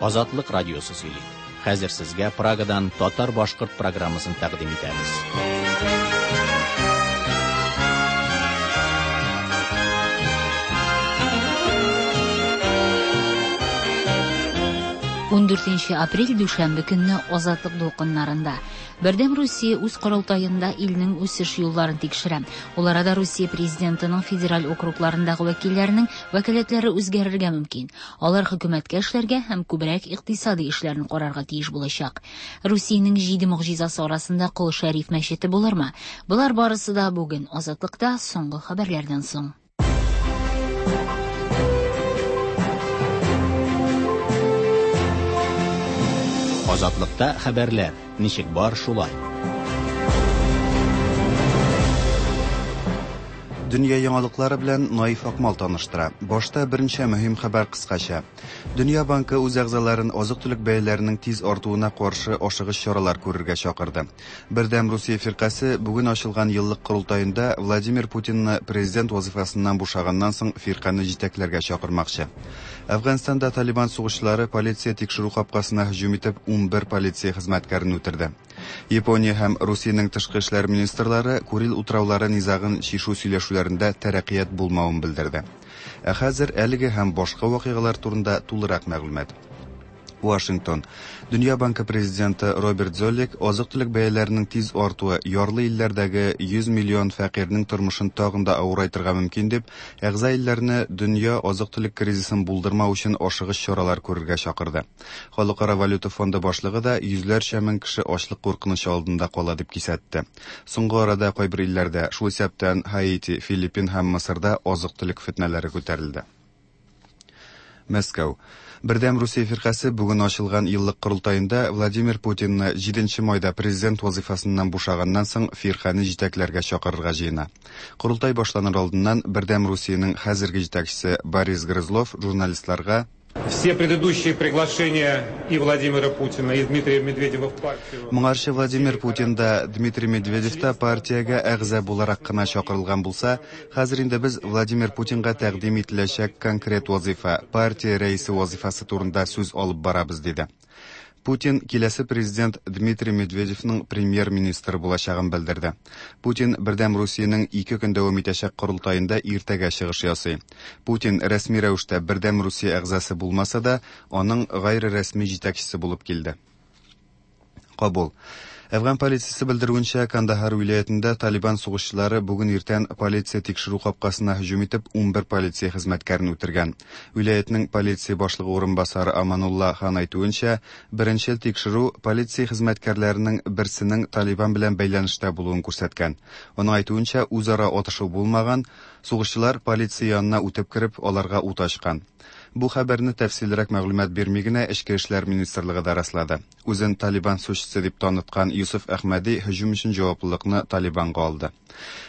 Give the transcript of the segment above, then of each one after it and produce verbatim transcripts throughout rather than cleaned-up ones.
Азатлык радиосы сөйли. Хәзер сезгә Прагадан татар-башкорт программасын тәкъдим итәбез. Ун дүртенче апрель дүшәмбе көнне Азатлык дулкыннарында Бердәм Русия үз корылтаенда илнең үсеш юлларын тикшерә. Ул арада Русия президентының федераль округларындагы вәкилләренең вәкаләтләре үзгәрергә мөмкин. Алар хөкүмәткә эшләргә һәм күбрәк икътисади эшләрне карарга тиеш булачак. Русиянең җиде могҗизасы арасында Кол Шәриф мәчете булырмы? Болар барысы да бүген Азатлыкта соңгы хәбәрләрдән соң. Азатлыкта хәбәрләр ничек бар шулай. Дөнья яңалыклары белән Наиф Акмал таныштыра. Башта берничә мөһим хәбәр кыскача. Дөнья банкы үз әгъзаларын азык-төлек бәяләренең тиз артуына каршы ашыгыч чаралар күрергә чакырды. Бердәм Русия фиркасе бүген ачылган еллык корылтаенда Владимир Путинны президент вазифасыннан бушаганнан соң фирканы җитәкләргә чакырмакчы. Әфганстанда Талибан сугышчылары полиция тикшерү капкасына һөҗүм итеп ун бер полиция хезмәткәрен үтерде. Япония һәм Русиянең тышкы эшләр министрлары Курил утраулары низагын чишү сөйләшүләрендә тәрәккыят булмавын белдерде. Ә хәзер әлеге һәм башка вакыйгалар турында тулырак мәгълүмат. Вашингтон. Дөнья банкы президенты Роберт Золик азык-төлек бәяләренең тиз артуы ярлы илләрдәге йөз миллион фәкыйрьнең тормышын тагын да авырайтырга мөмкин дип, әгъза илләрне дөнья азык-төлек кризисын булдырмау өчен ашыгыч чаралар күрергә чакырды. Халыкара валюта фонды башлыгы да йөзләрчә мең кеше ачлык куркынычы алдында кала дип кисәтте. Соңгы арада кайбер илләрдә, шул исәптән Хаити, Филиппин һәм Мысырда азык-төлек фетнәләре күтәрелде. Мәскәү. Бердәм Русия фиркасе бүген ачылган еллык корылтаенда Владимир Путинны җиденче майда президент вазифасыннан бушаганнан соң фирканы җитәкләргә чакырырга җыена. Корылтай башланыр алдыннан Бердәм Русиянең хәзерге җитәкчесе Борис Грызлов журналистларга Все предыдущие приглашения и Владимира Путина, и Дмитрия Медведева в партию. Моңарчы Владимир Путин да, Дмитрий Медведев та партиягә әгъза буларак кына чакырылган булса, хәзер инде без Владимир Путинга тәкъдим ителәчәк конкрет вазифа, партия рәисе вазифасы турында сүз алып барабыз, диде. Путин киләсе президент Дмитрий Медведевның премьер-министры булачагын белдерде. Путин Бердәм Русиянең ике көн дәвам итәчәк корылтаенда иртәгә чыгыш ясый. Путин рәсми рәвештә Бердәм Русия әгъзасы булмаса да, аның гайре рәсми җитәкчесе булып килде. Кабул. Әфган полициясе белдерүенчә, Кандахар вилаятында Талибан сугышчылары бүген иртән полиция тикшерү капкасына һөҗүм итеп ун бер полиция хезмәткәрен үтергән. Вилаятның полиция башлыгы урынбасары Аманулла хан әйтүенчә, беренчел тикшерү полиция хезмәткәрләренең берсенең Талибан белән бәйләнештә булуын күрсәткән. Аның әйтүенчә, үзара атышу булмаган, сугышчылар полиция янына үтеп кереп, аларга ут ачкан. Бу хәбәрне тәфсиллерәк мәгълүмат бирми генә Эчке эшләр министрлыгы да раслады. Үзен Талибан сугышчысы дип таныткан Юсуф Әхмәди һөҗүм өчен җаваплылыкны Талибанга алды.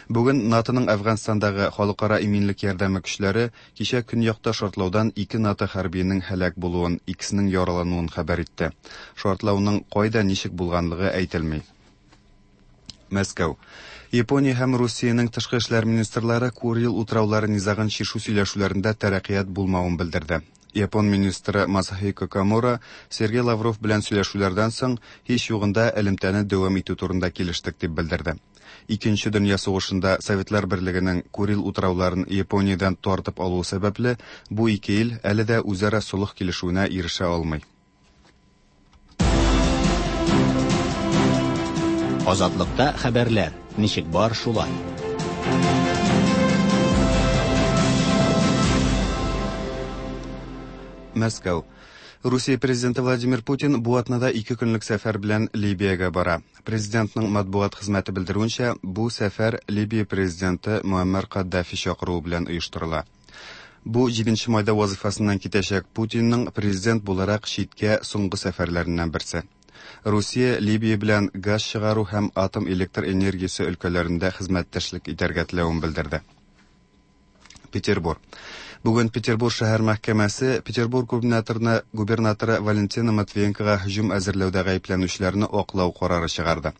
Бүген НАТОның Әфганстандагы халыкара иминлек ярдәме көчләре кичә көньякта шартлаудан ике НАТО хәрбиенең һәлак булуын, икесенең яралануын хәбәр итте. Шартлауның кайда ничек булганлыгы әйтелми. Мәскәү. Япония һәм Русиянең тышкы эшләр министрлары Курил утраулары низагын чишү сөйләшүләрендә тәрәккыят булмавын белдерде. Япон министры Масахико Комура Сергей Лавров белән сөйләшүләрдән соң һич югында элемтәне дәвам итү турында килештек дип белдерде. Икенче дөнья сугышында Советлар Берлегенең Курил утрауларын Япониядән тартып алуы сәбәпле бу ике ил әле дә үзара солых килешүенә ирешә алмый. Азатлыкта хәбәрләр ничек бар шулай. Мәскәү. Русия президенты Владимир Путин бу атнада ике көнлек сәфәр белән Либиягә бара. Президентның матбугат хезмәте белдерүенчә, бу сәфәр Либия президенты Муаммар Каддафи чакыруы белән оештырыла. Бу җиденче майда вазифасыннан китәчәк Путинның президент буларак читкә соңгы сәфәрләреннән берсе. Русия Либия белән газ чыгару һәм атом электр энергиясе өлкәләрендә хезмәттәшлек итәргә теләвен белдерде. Петербург. Бүген Петербург шәһәр мәхкәмәсе Петербург губернаторына, губернаторы Валентина Матвиенкога һөҗүм әзерләүдә гаепләнүчеләрне аклау карары чыгарды.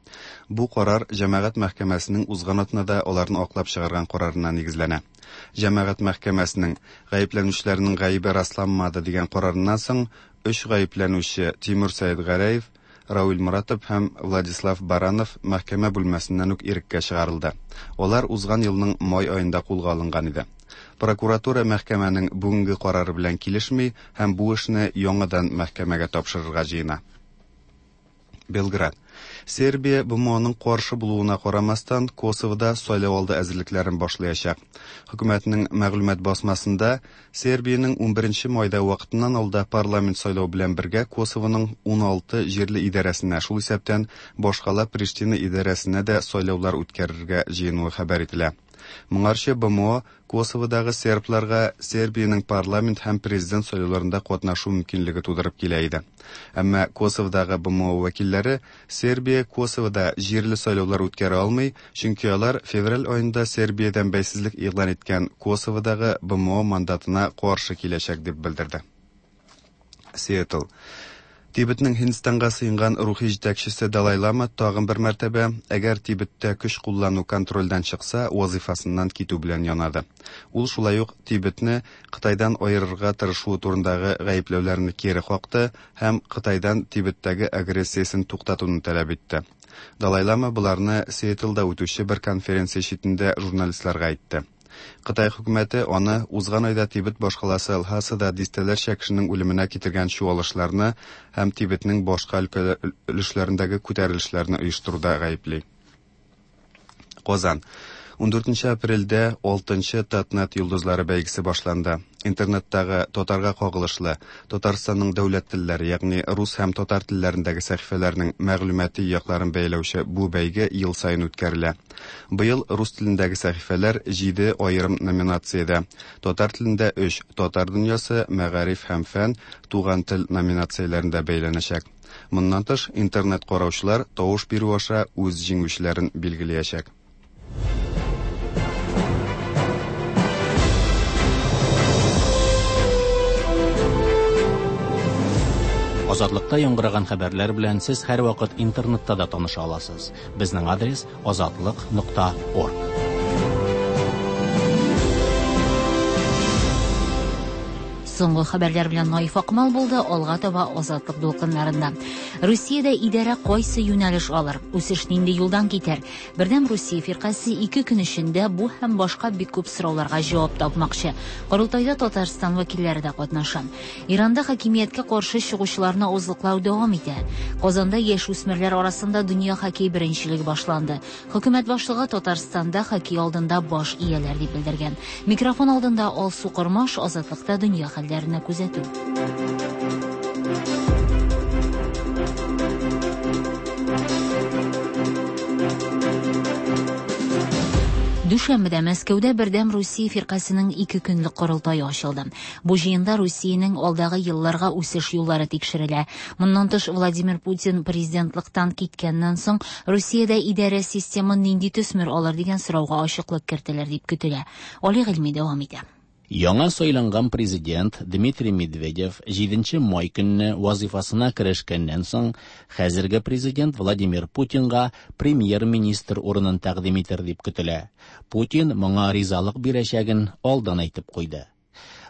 Бу карар җәмәгать мәхкәмәсенең узган атнада аларны аклап чыгарган карарына нигезләнә. Җәмәгать мәхкәмәсенең гаепләнүчеләрнең гаебе расланмады дигән карарыннан соң Өч гаепләнүче Тимур Сәетгәрәев, Равил Моратов һәм Владислав Баранов мәхкәмә бүлмәсеннән үк иреккә чыгарылды. Алар узган елның май аенда кулга алынган иде. Прокуратура мәхкәмәнең бүгенге карары белән килешми һәм бу эшне яңадан мәхкәмәгә тапшырырга җыена. Белград. Сербия Б М Оның каршы булуына карамастан, Косовода сайлау алды әзерлекләрен башлаячак. Хөкүмәтнең мәгълүмат басмасында Сербиянең унберенче майда вакытыннан алда парламент сайлау белән бергә Косовоның уналты җирле идарәсенә, шул исәптән башкала Приштина идарәсенә дә сайлаулар үткәрергә җыенуы хәбәр ителә. Моңарчы Б М О Косоводагы сербларга Сербиянең парламент һәм президент сайлауларында катнашу мөмкинлеге тудырып килә иде. Әмма Косоводагы Б М О вәкилләре Сербия Косовода җирле сайлаулар үткәрә алмый, чөнки алар февраль аенда Сербиядән бәйсезлек игълан иткән Косоводагы Б М О мандатына каршы киләчәк дип белдерде. Сиэтл. Тибетнең Һиндстанга сыенган рухи җитәкчесе Далай Лама тагын бер мәртәбә, әгәр Тибеттә көч куллану контрольдән чыкса, вазифасыннан китү белән янады. Ул шулай ук Тибетне Кытайдан аерырга тырышуы турындагы гаепләүләрне кире какты һәм Кытайдан Тибеттәге агрессиясен туктатуны таләп итте. Далай Лама боларны Сиэтлда үтүче бер конференция читендә журналистларга әйтте. Кытай хөкүмәте аны узган айда Тибет башкаласы Лхасада дистәләрчә кешенең үлеменә китергән чуалышларны һәм Тибетнең башка өлешләрендәге күтәрелешләрне оештыруда гаепли. Казан. Ундүртенче апрельдә алтынчы Татнет йолдызлары бәйгесе башланды. Интернеттагы татарга кагылышлы Татарстанның дәүләт телләре, ягъни рус һәм татар телләрендәге сәхифәләрнең мәгълүмати якларын бәяләүче бу бәйге ел саен үткәрелә. Быел рус телендәге сәхифәләр җиде аерым номинациядә, татар телендә өч «Татар дөньясы», «Мәгариф һәм фән», «Туган тел» номинацияләрендә бәяләнәчәк. Моннан тыш, интернет караучылар тавыш бирү аша үз җиңүчеләрен билгеләячәк. Азатлыкта яңгыраган хәбәрләр белән сез һәрвакыт интернетта да таныша аласыз. Безнең адрес азатлык нокта орг. Соңгы хәбәрләр белән Наиф Акмал булды, алга таба Азатлык дулкыннарында. Русиядә идарә кайсы юнәлеш алыр? Үсеш нинди юлдан китәр? Бердәм Русия фиркасе ике көн эчендә бу һәм башка бик күп сорауларга җавап тапмакчы. Корылтайда Татарстан вәкилләре дә катнаша. Иранда хакимияткә каршы чыгучыларны авызлыклау дәвам итә. Казанда яшь үсмерләр арасында дөнья хоккей беренчелеге башланды. Хөкүмәт башлыгы Татарстанда хоккей алдында баш ияләр дип белдергән. Микрофон алдында Алсу Кормаш, Азатлыкта дөнья хәлләренә күзәтү. Дүшәмбедә Мәскәүдә Бердәм Русия фиркасының ике көнлек корылтае ачылды. Бу җыенда Русиянең алдагы елларга үсеш юллары тикшерелә. Моннан тыш, Владимир Путин президентлыктан киткәннән соң Русиядә идарә системы нинди төсмер алыр дигән сорауга ачыклык кертелер дип көтелә. Али Гыйльми дәвам итә. Яңа сайланган президент Дмитрий Медведев җиденче май көнне вазифасына керешкәннән соң хәзерге президент Владимир Путинга премьер-министр урынын тәкъдим итер дип көтелә. Путин моңа ризалык бирәчәген алдан әйтеп куйды.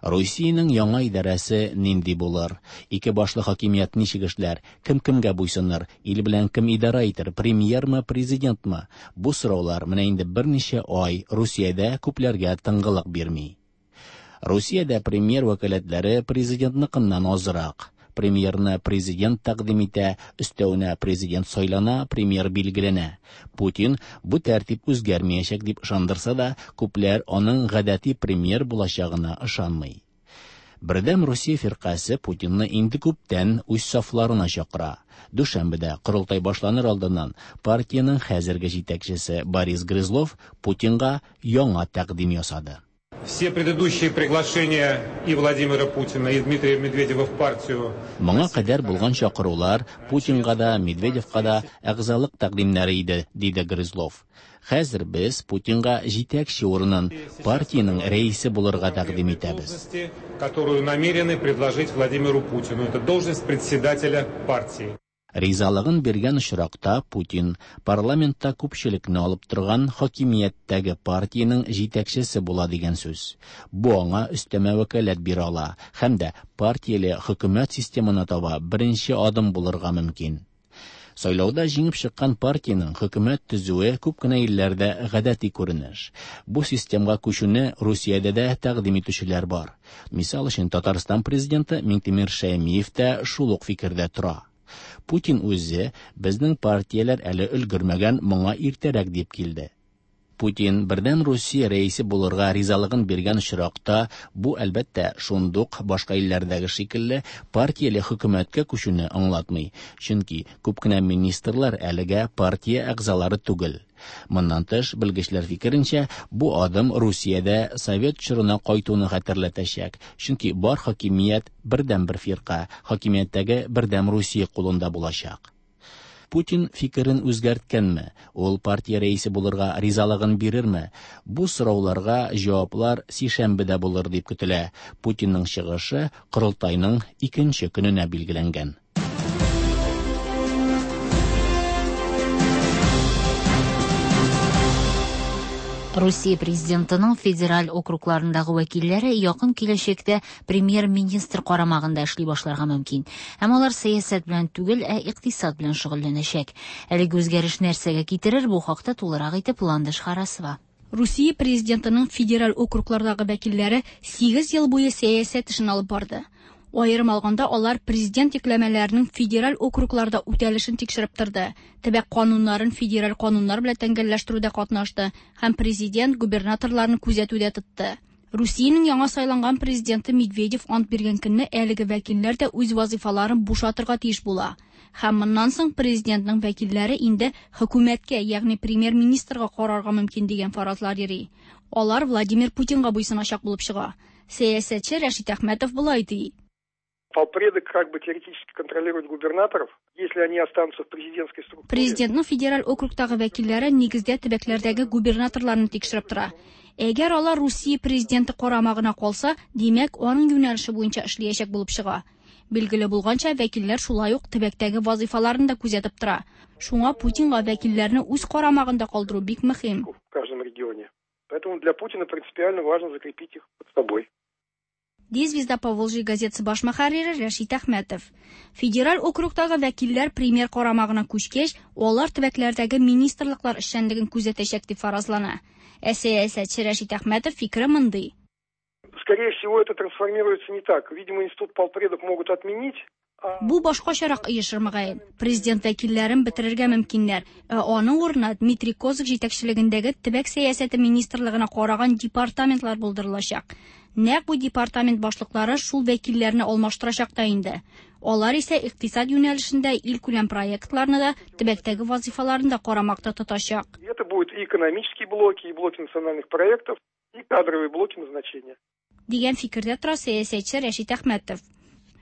Русиянең яңа идарәсе нинди булыр? Ике башлы хакимият ничек эшләр? Кем кемгә буйсыныр? Ил белән кем идарә итер? Премьермы, президентмы? Бу сораулар менә инде берничә ай Русиядә күпләргә тынгылык бирми. Русиядә премьер вәкаләтләре президентныкыннан азрак. Премьерны президент тәкъдим итә, өстәвенә президент сайлана, премьер билгеләнә. Путин бу тәртип үзгәрмәячәк дип ышандырса да, күпләр аның гадәти премьер булачагына ышанмый. Бердәм Русия фиркасе Путинны инде күптән үз сафларына чакыра. Дүшәмбедә корылтай башланыр алдыннан партиянең хәзерге җитәкчесе Борис Грызлов Путинга яңа тәкъдим ясады. Все предыдущие приглашения и Владимира Путина, и Дмитрия Медведева в партию. Моңа кадәр булган чакырулар Путинга да, Медведевка да әгъзалык тәкъдимнәре иде, диде Грызлов. Хәзер без Путинга җитәкче урынын, партиянең рәисе булырга тәкъдим итәбез. Которую намерены предложить Владимиру Путину. Это должность председателя партии. Ризалыгын биргән очракта Путин парламентта күпчелекне алып торган хакимияттәге партиянең җитәкчесе була дигән сүз. Бу аңа өстәмә вәкаләт бирә ала һәм дә партияле хөкүмәт системына таба беренче адым булырга мөмкин. Сайлауда җиңеп чыккан партиянең хөкүмәт төзүе күп кенә илләрдә гадәти күренеш. Бу системга күчүне Русиядә дә тәкъдим итүчеләр бар. Мисал өчен, Татарстан президенты Миңтимер Шәймиев тә шул ук фикердә тора. Путин үзе безнең партияләр әле өлгермәгән, моңа иртәрәк дип килде. Путин Бердәм Русия рәисе булырга ризалыгын биргән очракта, бу әлбәттә шундук башка илләрдәге шикелле партияле хөкүмәткә күчүне аңлатмый, чөнки күп кенә министрлар әлегә партия әгъзалары түгел. Моннан тыш, белгечләр фикеренчә, бу адым Русиядә совет чорына кайтуны хәтерләтәчәк, чөнки бар хакимият бердәм бер фирка, хакимияттәге Бердәм Русия кулында булачак. Путин фикерен үзгәрткәнме? Ул партия рәисе булырга ризалыгын бирерме? Бу сорауларга җаваплар сишәмбедә булыр дип көтелә. Путинның чыгышы корылтайның икенче көненә билгеләнгән. Русия президентының федераль округларындагы вәкилләре якын киләчәктә премьер-министр карамагында эшли башларга мөмкин. Һәм алар сәясәт белән түгел, ә икътисад белән шөгыльләнәчәк. Әлеге үзгәреш нәрсәгә китерер, бу хакта тулырак итеп Ландыш Харасова. Русия президентының федераль округлардагы вәкилләре сигез ел буе сәясәт эшен алып барды. Аерым алганда, алар президент йөкләмәләренең федераль округларда үтәлешен тикшереп торды, төбәк кануннарын федераль кануннар белән тәңгәлләштерүдә катнашты һәм президент губернаторларны күзәтүдә тотты. Русиянең яңа сайланган президенты Медведев ант биргән көнне әлеге вәкилләр дә үз вазифаларын бушатырга тиеш була. Һәм моннан соң президентның вәкилләре инде хөкүмәткә, ягъни премьер-министрга карарга мөмкин дигән фаразлар йөри. Алар Владимир Путинга буйсыначак булып чыга. Сәясәтче Рәшит Әхмәтов болай ди. Полпреды как бы теоретически контролируют губернаторов, если они останутся в президентской структуре. Президентның федераль округтагы вәкилләре нигездә төбәкләрдәге губернаторларны тикшереп тора. Әгәр алар Русия президенты карамагына калса, димәк, аның юнәлеше буенча эшләячәк булып чыга. Билгеле булганча, вәкилләр шулай ук төбәктәге вазифаларын да күзәтеп тора. Шуңа Путинга вәкилләрне үз карамагында калдыру бик мөһим. В каждом регионе. Поэтому для Путина принципиально важно закрепить их под собой. Ди Звезда Поволжье газетасы баш мөхәррире Рәшит Әхмәтов. Федераль округтагы вәкилләр премьер карамагына күчкәч, алар төбәкләрдәге министрлыклар эшчәнлеген күзәтәчәк дип фаразлана. Ә сәясәтче Рәшит Әхмәтов фикере мондый. Скорее всего, это трансформируется не так. Видимо, институт полпредов могут отменить. Бу башкачарак оешыр мөгаен. Президент вәкилләрен бетерергә мөмкиннәр. Ә аның урынына Дмитрий Козак җитәкчелегендәге төбәк сәясәте министрлыгына караган департаментлар булдырылачак. Нәкъ бу департамент башлыклары шул вәкилләрне алмаштырачак та инде. Алар исә икътисад юнәлешендә илкүләм проектларны да, төбәктәге вазифаларын да карамакта тотачак. Это будут и экономические блоки, и блоки национальных проектов, и кадровые блоки назначения. Дигән фикердә тора сәясәтче Рәшит Әхмәтов.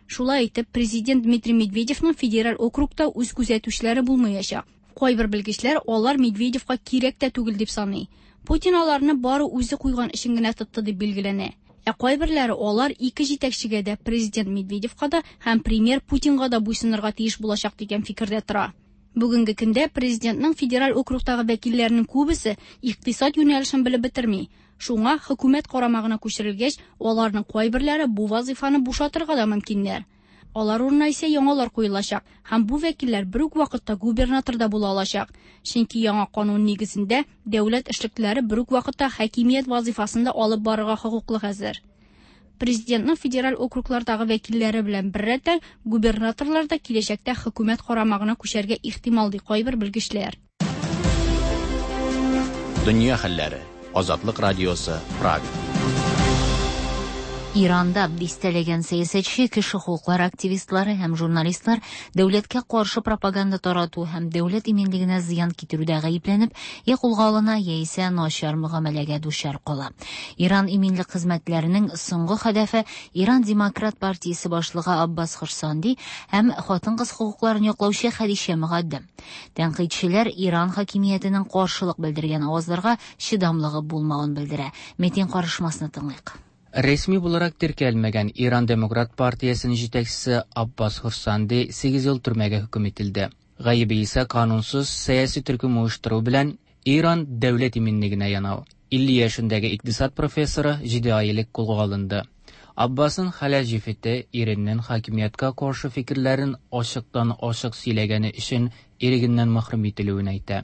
Шулай итеп, президент Дмитрий Медведевның федераль округта үз күзәтүчеләре булмаячак. Кайбер белгечләр алар Медведевка кирәк тә түгел дип саный. Путин аларны бары үзе куйган өчен генә тотты дип билгеләнә. Ә кайберләре алар ике җитәкчегә дә, президент Медведевка да һәм премьер Путинга да буйсынырга тиеш булачак дигән фикердә тора. Бүгенге көндә президентның федераль округтагы вәкилләренең күбесе икътисад юнәлешен белеп бетерми. Шуңа хөкүмәт карамагына күчерелгәч, аларның кайберләре бу вазифаны бушатырга да мөмкиннәр. Алар урынына исә яңалар куелачак һәм бу вәкилләр бер үк вакытта губернатор да була алачак. Чөнки яңа канун нигезендә дәүләт эшлеклеләре бер үк вакытта хакимият вазифасын да алып барырга хокуклы хәзер. Президентның федераль округлардагы вәкилләре белән беррәттән губернаторлар да киләчәктә хөкүмәт карамагына күчәргә ихтимал ди кайбер белгечләр. Дөнья хәлләре. Азатлык радиосы, Прага. Иранда дистәләгән сәясәтче, кеше хокуклары активистлары һәм журналистлар дәүләткә каршы пропаганда тарату һәм дәүләт иминлегенә зыян китерүдә гаепләнеп, я кулга алына, яисә начар мөгамәләгә дучар кала. Иран иминлек хезмәтләренең соңгы һәдәфе Иран Демократ партиясе башлыгы Аббас Хурсанди һәм хатын-кыз хокукларын яклаучы Хәдичә Мөгаддәм. Тәнкыйтьчеләр Иран хакимиятенең каршылык белдергән авазларга чыдамлыгы булмавын белдерә. Метин карышмасны тыңлыйк. Рәсми буларак теркәлмәгән Иран Демократ партиясенең җитәкчесе Аббас Хурсанди сигез ел төрмәгә хөкем ителде. Гаебе исә канунсыз сәяси төркем оештыру белән Иран дәүләт иминлегенә янау. илле яшендәге икътисад профессоры җиде ай элек кулга алынды. Аббасның хәләл җефете иреннән хакимияткә каршы фикерләрен ачыктан-ачык сөйләгәне өчен ирегеннән мәхрүм ителүен әйтә.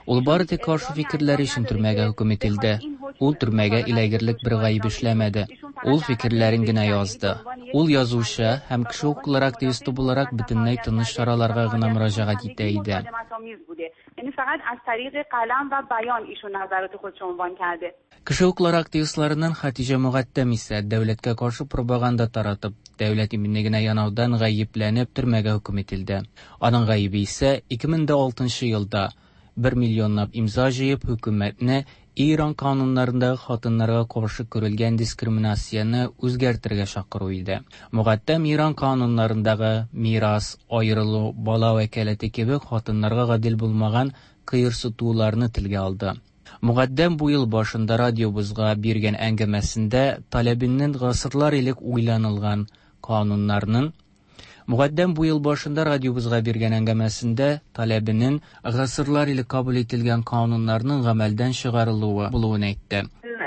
Ул бары тик каршы фикерләре өчен төрмәгә хөкем ителде. Ул төрмәгә эләгерлек бер гаеп эшләмәде. Ул фикерләрен генә язды. Ул язучы һәм кеше хокуклары активисты буларак бөтенләй тыныч чараларга гына мөрәҗәгать итә иде. Кеше хокуклары активистларыннан Хатиҗә Мөгаттәм исә дәүләткә каршы пропаганда таратып, дәүләт иминлегенә янаудан гаепләнеп төрмәгә хөкем ителде. Аның гаебе исә ике мең дә алтынчы елда бер миллионлап имза җыеп хөкүмәтне Иран кануннарындагы хатыннарга каршы күрелгән дискриминацияне үзгәртергә чакыру иде. Мөгаттәм Иран кануннарындагы мирас, аерылу, бала вәкаләте кебек хатыннарга гадел булмаган кыерсытуларны телгә алды. Мөгаттәм бу ел башында радиобызга биргән әңгәмәсендә таләбеннән гасырлар элек уйланылган кануннарның Мөгаттәм бу ел башында радиобызга биргән әңгәмәсендә таләбенең гасырлар элек кабул ителгән кануннарның гамәлдән чыгарылуы булуын әйтте.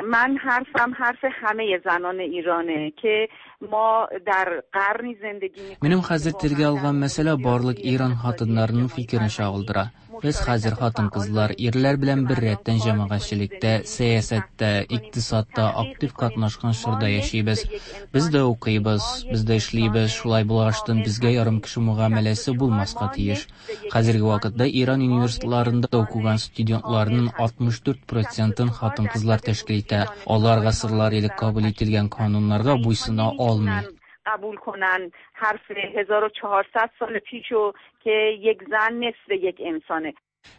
من حرفم حرف همه زنان ایرانه که ما در قرنی زندگی می‌کنیم. Минем хәзер телгә алган мәсьәлә барлык Иран хатыннарының фикерен чагылдыра. Без хәзер хатын-кызлар ирләр белән бер рәттән җәмәгатьчелектә, сәясәттә, икътисадта актив катнашкан чорда яшибез. Без дә укыйбыз, без дә эшлибез, шулай булгаштын безгә ярым кеше мөгамәләсе булмаска тиеш. Хәзерге вакытта Иран университетларында укыган студентларның алтмыш дүрт процентын хатын-кызлар тәшкил итә. Алар гасырлар элек кабул ителгән кануннарга буйсына алмый. قبول کنن حرف هزار و چهارصد سال پیشو که یک زن نصف یک انسانه.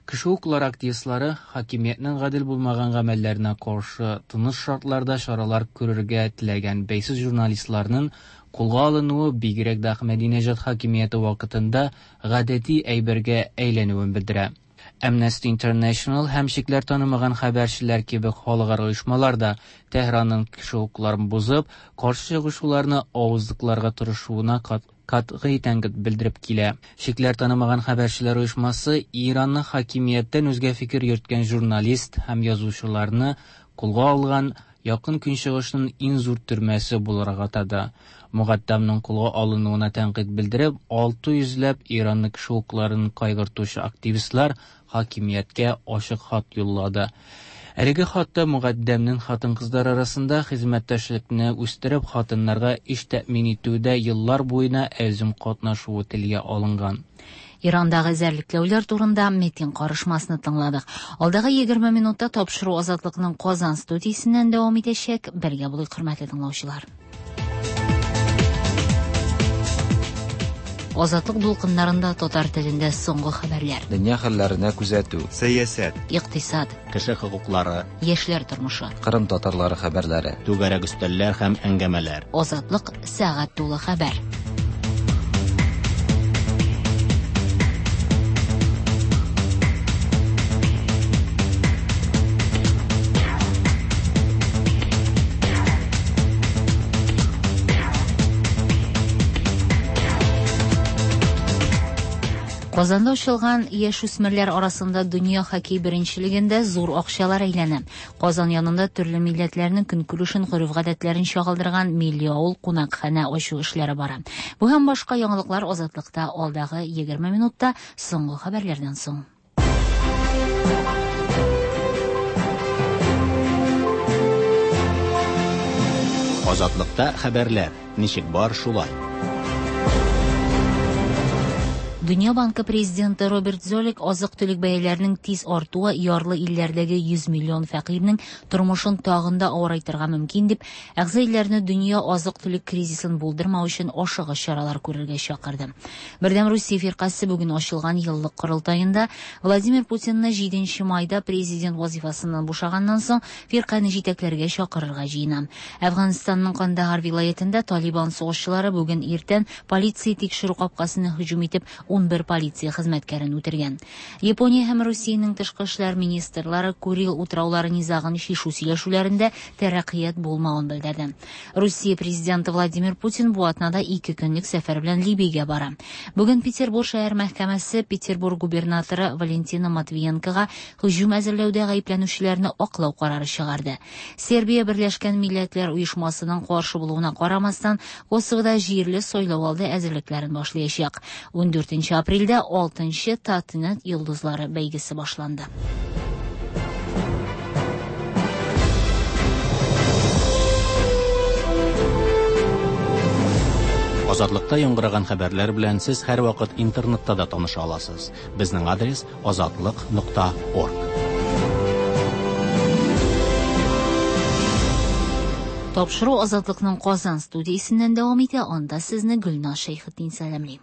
Кеше хокуклары активистлары хакимиятнең гадел булмаган гамәлләренә каршы тыныч шартларда чаралар күрергә теләгән бәйсез журналистларның кулга алынуы бигрәк дә Әхмәдинежад хакимияте вакытында гадәти әйбергә әйләнүен белдерә. Amnesty International һәм чикләр танымаган хәбәрчеләр кебек халыкара оешмалар да Тәһранның кеше хокукларын бозып, каршы чыгышуларны авызлыкларга тырышуына кат-, катгый тәнкыйть белдереп килә. Чикләр танымаган хәбәрчеләр оешмасы Иранны хакимияттән үзгә фикер йөрткән журналист һәм язучыларны кулга алган Якын Көнчыгышның иң зур төрмәсе буларак атады. Мөгаттәмнең кулга алынуына тәнкыйть белдереп, алты йөзләп Иранны кеше хокукларын кайгыртучы активистлар хакимияткә ачык хат юллады. Әлеге хатта Мөгаттәмнең хатын-кызлар арасында хезмәттәшлекне үстереп, хатыннарга эш тәэмин итүдә еллар буена әзим катнашуы телгә алынган. Ирандагы эзәрлекләүләр турында Метин карышмасны тыңладык. Алдагы егерме минутта тапшыру Азатлыкның Казан студиясеннән дәвам итәчәк. Бергә булыйк, хөрмәтле тыңлаучылар. Азатлык дулкыннарында татар телендә соңгы хәбәрләр. Дөнья хәлләренә күзәтү. Сәясәт. Икътисад. Кеше хокуклары. Яшьләр тормышы. Кырым татарлары хәбәрләре. Түгәрәк өстәлләр һәм әңгәмәләр. Азатлык сәгать тулы хәбәр. Казанда ачылган яшүсмерләр арасында дөнья хоккей беренчелегендә зур акчалар әйләнә. Казан янында төрле милләтләрнең көнкүрешен, гореф-гадәтләрен чагылдырган милли авыл кунакханә ачу эшләре бара. Бу һәм башка яңалыклар Азатлыкта алдагы егерме минутта соңгы хәбәрләрдән соң. Азатлыкта хәбәрләр ничек бар шулай. Дөнья банкы президенты Роберт Золик азык-төлек бәяләренең тиз артуы ярлы илләрдәге йөз миллион фәкыйрьнең тормышын тагын да авырайтырга мөмкин дип, әгъза илләрне дөнья азык-төлек кризисын булдырмау өчен ашыгыч чаралар күрергә чакырды. Бердәм Русия фиркасе бүген ачылган еллык корылтаенда Владимир Путинны җиденче майда президент вазифасыннан бушаганнан соң фирканы җитәкләргә чакырырга җыена. Әфганстанның Кандагар вилаятендә Талибан сугышчылары бүген иртән полиция тикшерү капкасына һөҗүм итеп унбер полиция хезмәткәрен үтергән. Япония һәм Русиянең тышкы эшләр министрлары Курил утраулары низагын чишү сөйләшүләрендә тәрәккыят булмавын белдерде. Русия президенты Владимир Путин бу атнада ике көнлек сәфәр белән Либиягә бара. Бүген Петербург шәһәр мәхкәмәсе Петербург губернаторы Валентина Матвиенкога һөҗүм әзерләүдә гаепләнүчеләрне аклау карары чыгарды. Сербия Берләшкән Милләтләр Оешмасының каршы булуына карамастан, Косовода җирле сайлау алды әзерлекләрен башлаячак. Ундүртенче апрельдә алтынчы Татнет йолдызлары бәйгесе башланды. Азатлыкта яңгыраган хәбәрләр белән сез һәрвакыт интернетта да таныша аласыз. Безнең адрес азатлык нокта орг. Тапшыру Азатлыкның Казан студиясеннән дәвам итә. Анда сезне Гөлназ Шәйхетдин сәламли.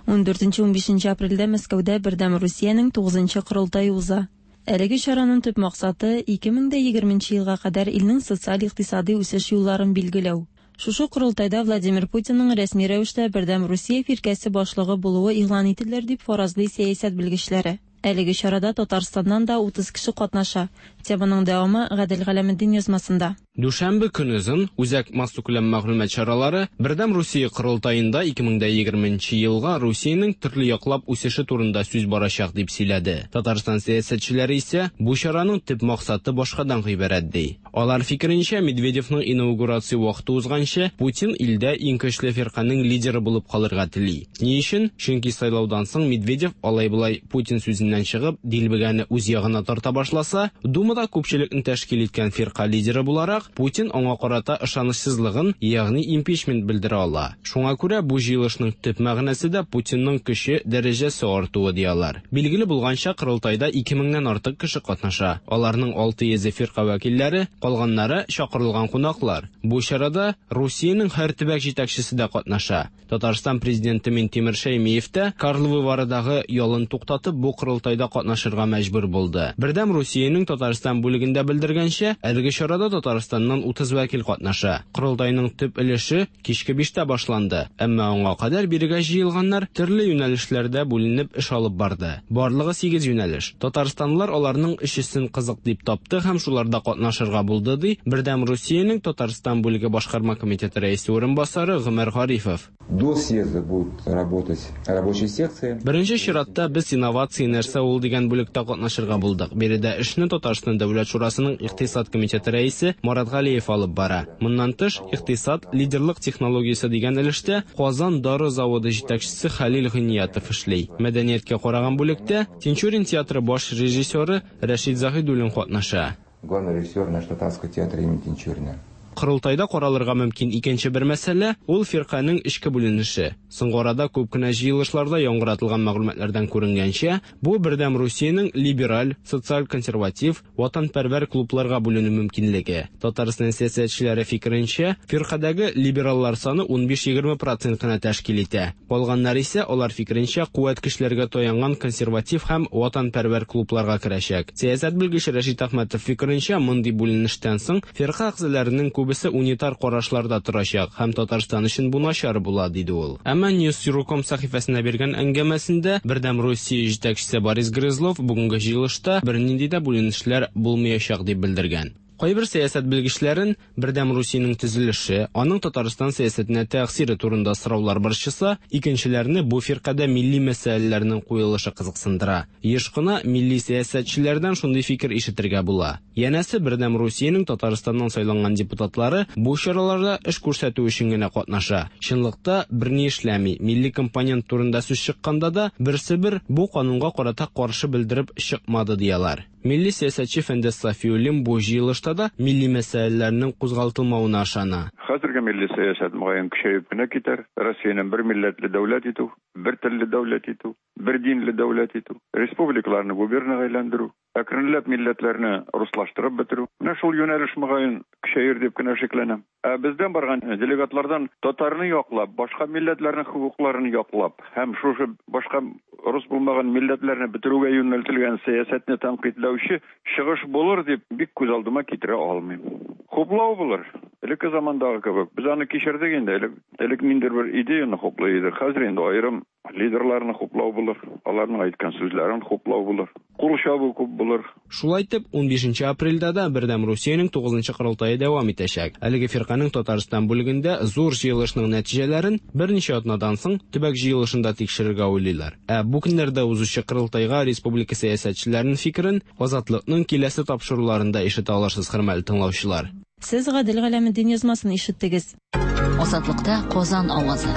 Ундүртенче унбишенче апрельдә Мәскәүдә Бердәм Русиянең тугызынчы корылтае уза. Әлеге чараның төп максаты ике мең дә егерменче елга кадәр илнең социаль-икътисади үсеш юлларын билгеләү. Шушы корылтайда Владимир Путинның рәсми рәвештә Бердәм Русия фиркәсе башлыгы булуы игълан ителер дип фаразлый сәясәт белгечләре. Әлеге чарада Татарстаннан да утыз кеше катнаша. Теманың дәвамы Гадел Галәметдин язмасында. Дүшәмбе көнозын Үзәк массакүләм мәгълүмат чаралары Бердәм Русия корылтаенда ике мең дә егерменче елга Русиянең төрле яклап үсеше турында сүз барачак дип сөйләде. Татарстан сәясәтчеләре исә бу чараның төп максаты башкадан гыйбарәт ди. Алар фикеренчә, Медведевның инаугурация вакыты узганчы Путин илдә иң көчле фирканең лидеры булып калырга тели. Ни өчен? Чөнки сайлаудан соң Медведев алай-болай Путин сүзеннән чыгып, дилбегәне үз ягына тарта башласа, Думада күпчелекне тәшкил иткән фирка лидеры буларак Путин аңа карата ышанычсызлыгын, ягъни импичмент белдерә ала. Шуңа күрә бу җыелышның төп мәгънәсе дә Путинның көче дәрәҗәсе артуы ди алар. Билгеле булганча, корылтайда ике меңнән артык кеше катнаша. Аларның алты йөзе фирка вәкилләре, калганнары чакырылган кунаклар. Бу чарада Русиянең һәр төбәк җитәкчесе дә катнаша. Татарстан президенты Минтимер Шәймиев тә Карловы Варыдагы ялын туктатып бу корылтайда катнашырга мәҗбүр булды. Бердәм Русиянең Татарстан бүлегендә белдергәнчә, әлеге чарада Татарстаннан утыз вәкил катнаша. Корылтайның төп өлеше кичке биштә башланды. Әмма аңа кадәр бирегә җыелганнар төрле юнәлешләрдә бүленеп эш алып барды. Барлыгы сигез юнәлеш. Татарстанлылар аларның өчесен кызык дип тапты һәм шуларда катнашырга булды, ди Бердәм Русиянең Татарстан бүлеге башкарма комитеты рәисе урынбасары Гомәр Гарифов. До съезда будут работать рабочие секции. Беренче чиратта без инновация нәрсә ул дигән бүлектә катнашырга булдык. Биредә эшне Татарстан Дәүләт Шурасының Икътисад комитеты рәисе Марат Галиев алып бара. Моннан тыш, икътисад лидерлык технологиясе дигән өлештә Казан дары заводы җитәкчесе Хәлил Гыйниятов эшли. Мәдәнияткә караган бүлектә Тинчурин театры баш режиссеры Рәшид Заһидуллин катнаша. Главный режиссер нашего татарского театра имени Тинчурина. Корылтайда каралырга мөмкин икенче бер мәсьәлә ул фирканең эчке бүленеше. Соңгы арада күп кенә җыелышларда яңгыратылган мәгълүматлардан күренгәнчә, бу Бердәм Русиянең либераль, социаль-консерватив, ватанпәрвәр клубларга бүленү мөмкинлеге. Татарстан сәясәтчеләре фикеренчә, фиркадәге либераллар саны унбиш-егерме процент кына тәшкил итә. Калганнар исә алар фикеренчә куәт көчләргә таянган консерватив һәм ватанпәрвәр клубларга керәчәк. Сәясәт белгече Рәшит Әхмәтов фикеренчә, мондый бүленештән соң фирка әгъзаларының күбесе унитар карашларда торачак һәм Татарстан өчен бу начар була, диде ул. Әмма News точка ком сәхифәсенә биргән әңгәмәсендә Бердәм Русия җитәкчесе Борис Грызлов бүгенге җыелышта бернинди дә бүленешләр булмаячак дип белдергән. Кайбер сәясәт белгечләрен Бердәм Русиянең төзелеше, аның Татарстан сәясәтенә тәэсире турында сораулар борчыса, икенчеләрне бу фиркадә милли мәсьәләләрнең куелышы кызыксындыра. Еш кына милли сәясәтчеләрдән шундый фикер ишетергә була. Янәсе Бердәм Русиянең Татарстаннан сайланган депутатлары бу чараларда эш күрсәтү өчен генә катнаша. Чынлыкта берни эшләми. Милли компонент турында сүз чыкканда да берсе бер бу канунга карата каршы белдереп чыкмады дияләр. Милли сәясәтче Фәндәс Сафиуллин бу җыелышта да милли мәсьәләләрнең кузгалтылмавына ышана. Хәзерге милли сәясәт мөгаен көчәеп кенә китәр. Россиянең бер милләтле дәүләт итү, бер телле дәүләт итү, бер динле дәүләт итү, республикаларны губернага әйләндерү, әкренләп милләтләрне руслаштырып бетерү. Менә шул юнәлеш мөгаен көчәер дип кенә шикләнәм. Ә бездән барган делегатлардан татарны яклап, башка милләтләрнең хокукларын яклап һәм шушы башка рус булмаган милләтләрне бетерүгә юнәлтелгән сәясәтне тәнкыйтьләүче чыгыш булыр дип бик күз алдыма китерә алмыйм. Хуплау булыр. Элекке замандагы кебек без аны кичердек инде. Элек, элек ниндидер бер идеяны хуплый идек. Хәзер инде аерым лидерларны хуплау булыр, аларның әйткән сүзләрен хуплау булыр. Кул чабу күп булыр. Шулай итеп, унбишенче апрельдә дә Бердәм Русиянең тугызынчы корылтае дәвам итәчәк. Әлеге фирканең Татарстан бүлегендә зур җыелышның нәтиҗәләрен берничә атнадан соң төбәк җыелышында тикшерергә уйлыйлар. Ә бу көннәрдә узучы корылтайга республика сәясәтчеләренең фикерен Азатлыкның киләсе тапшыруларында ишетә алырсыз, хөрмәтле тыңлаучылар. Сез Гадел Галәметдин язмасын ишеттегез. Азатлыкта Казан авазы.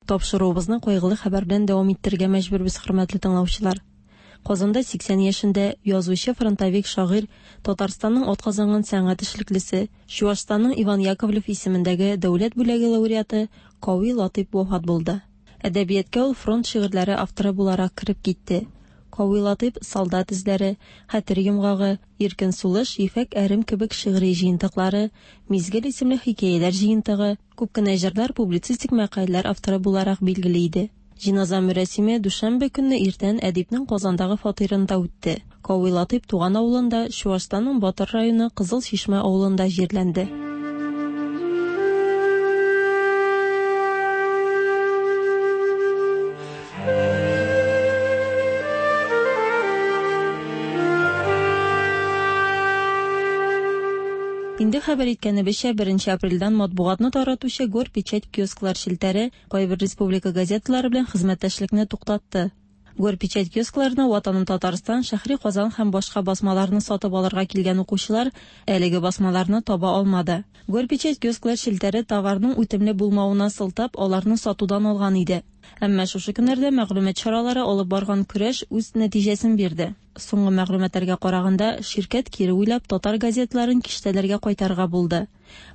Тапшыруыбызны кайгылы хәбәр белән дәвам иттерергә мәҗбүрбез, хөрмәтле тыңлаучылар. Казанда сиксән яшендә язучы, фронтовик шагыйрь, Татарстанның атказанган сәнгать эшлеклесе, Чуашстанның Иван Яковлев исемендәге дәүләт бүләге лауреаты Кави Латыйп вафат булды. Әдәбиятка ул фронт шигырьләре авторы буларак кереп китте. Кави Латыйп «Солдат эзләре», «Хәтер йомгагы», «Иркен сулыш», «Ефәк әрем» кебек шигъри җыентыклары, «Мизгел» исемле хикәяләр җыентыгы, күп кенә җырлар, публицистик мәкаләләр авторы буларак билгеле иде. Җиназа мөрәсиме дүшәмбе көнне иртән әдипнең Казандагы фатирында үтте. Кави Латыйп туган авылында, Чуашстанның Батыр районы Кызыл Чишмә авылында җирләнде. Инде хәбәр иткәнебезчә, беренче апрельдән матбугатны таратучы Горпечать киосклар челтәре кайбер республика газеталары белән хезмәттәшлекне туктатты. Горпечать киоскларына Ватаным Татарстан, Шәһри Казан һәм башка басмаларны сатып алырга килгән укучылар әлеге басмаларны таба алмады. Горпечать киосклар челтәре товарның үтемле булмавына сылтап, аларны сатудан алган иде. Әмма шушы көннәрдә мәгълүмат чаралары алып барган көрәш үз нәтиҗәсен бирде. Соңгы мәгълүматларга караганда, ширкәт кире уйлап татар газетларын киштәләргә кайтарырга булды.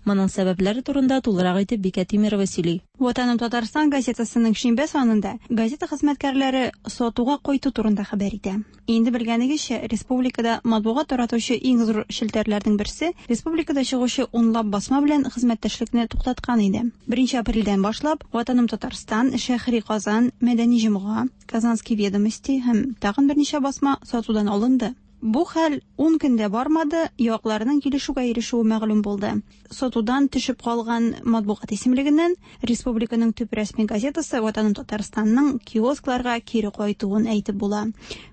Моның сәбәпләре турында тулырак итеп Бикә Тимирова сөйли. Ватаным Татарстан газетасының шимбә санында газета хезмәткәрләре сатуга кайту турында хәбәр итә. Инде белгәнегезчә, республикада матбугат таратучы иң зур челтәрләрнең берсе республикада чыгучы унлап басма белән хезмәттәшлекне туктаткан иде. Беренче апрельдән башлап Ватаным Татарстан, Шәһри Казан, Мәдәни җомга, Казанские ведомости һәм тагын берничә басма сатудан алынды. Бу хәл ун көндә бармады, якларның килешүгә ирешүе мәгълүм булды. Сатудан төшеп калган матбугат исемлегеннән республиканың төп рәсми газетасы Ватаным Татарстанның киоскларга кире кайтуын әйтеп була.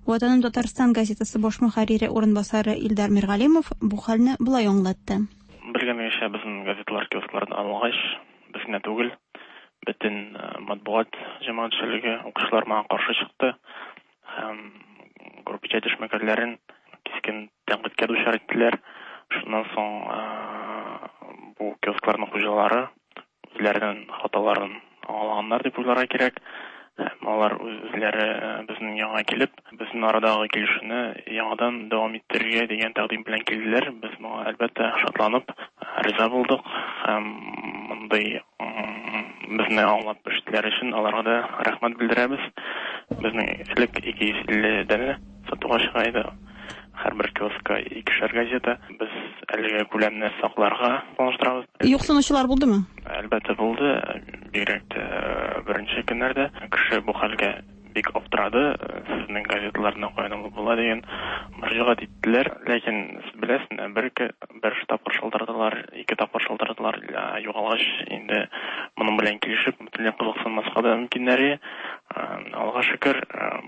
Ватаным Татарстан газетасы баш мөхәррире урынбасары Илдар Миргалимов бу хәлне болай аңлатты. Белгәнегезчә, безнең газеталар киосклардан алынгач, без генә түгел, бөтен матбугат җәмәгатьчелеге, укучылар моңа каршы чыкты һәм Горпечать эшмәкәрләрен кискен тәнкыйтькә дучар иттеләр. Шуннан соң бу киоскларның хуҗалары үзләренең хаталарын аңлаганнар дип уйларга кирәк. Һәм алар үзләре безнең яңа килеп, безнең арадагы килешүне яңадан дәвам иттерергә дигән тәкъдим белән килделәр. Без моңа әлбәттә шатланып риза булдык һәм мондый безне аңлап эшләр өчен аларга да рәхмәт белдерәбез. Безнең элек ике йөз илле данә сатуга чыга иде. Һәрбер киоскка икешәр газета. Без әлеге күләмне сакларга планлаштырабыз. Юксынучылар булдымы? Әлбәттә булды. Бигрәк тә беренче көннәрдә кеше бу хәлгә бик аптырады. Сезнең газеталарны каян алып була дигән мөрәҗәгать иттеләр. Ләкин сез беләсез, бер бер тапкыр шалтыраталар, ике тапкыр шалтыраталар, югалгач инде моның белән килешеп, бөтенләй кызыксынмаска да мөмкиннәре. Аллага шөкер,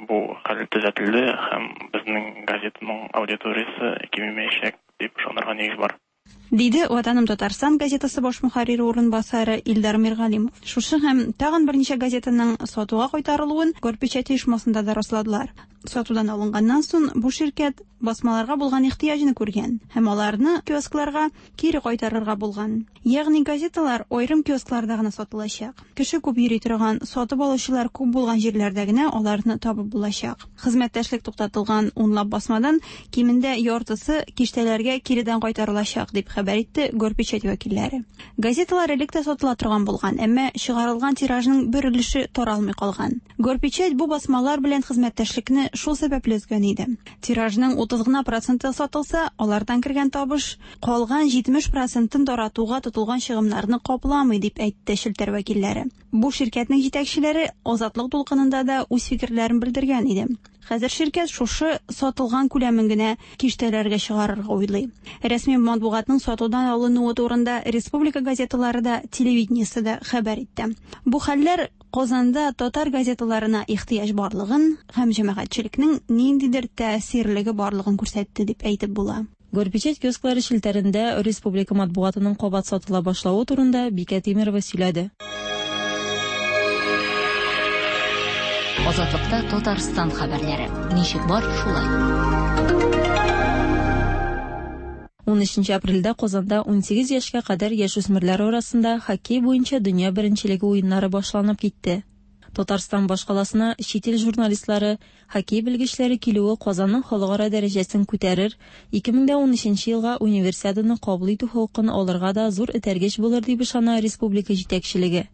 бу хәл төзәтелде һәм безнең газетаның аудиториясе кимемәячәк дип ышанырга нигез бар. Диде Ватаным Татарстан газетасы баш мөхәррире урынбасары Илдар Миргалимов. Шушы һәм тагын берничә газетаның сатуга кайтарылуын Горпечать оешмасында да расладылар. Сатудан алынганнан соң бу ширкәт басмаларга булган ихтыяҗны күргән һәм аларны киоскларга кире кайтарырга булган. Ягъни газеталар аерым киоскларда гына сатылачак. Кеше күп йөри торган, сатып алучылар күп булган җирләрдә генә аларны табып булачак. Хезмәттәшлек туктатылган унлап басмадан кимендә яртысы киштәләргә киредән кайтарылачак дип хәбәр итте Горпечать вәкилләре. Газеталар элек тә сатыла торган булган, әмма чыгарылган тиражның бер өлеше таралмый калган. Горпечать бу басмалар белән хезмәттәшлекне шул сәбәпле өзгән иде. Тиражның утыз гына проценты сатылса, алардан кергән табыш калган җитмеш процентын таратуга тотылган чыгымнарны капламый дип әйтте челтәр вәкилләре. Бу ширкәтнең җитәкчеләре Азатлык дулкынында да үз фикерләрен белдергән иде. Хәзер ширкәт шушы сатылган күләмен генә киштәләргә чыгарырга уйлый. Рәсми матбугатның сатудан алынуы турында республика газеталары да, телевидениесе дә хәбәр итте. Бу хәлләр Казанда татар газеталарына ихтыяҗ барлыгын һәм җәмәгатьчелекнең ниндидер тәэсирлеге барлыгын күрсәтте дип әйтеп була. Горпечать киосклары челтәрендә республика матбугатының кабат сатыла башлавы турында Бикә Тимирова сөйләде. Азатлыкта Татарстан хәбәрләре. Ничек бар, шулай. Унөченче апрельдә Казанда унсигез яшькә кадәр яшүсмерләр арасында хоккей буенча дөнья беренчелеге уеннары башланып китте. Татарстан башкаласына чит ил журналистлары, хоккей белгечләре килүе Казанның халыкара дәрәҗәсен күтәрер, ике мең дә унөченче елга универсиаданы кабул итү хокукын алырга да зур этәргеч булыр дип ышана республика җитәкчелеге.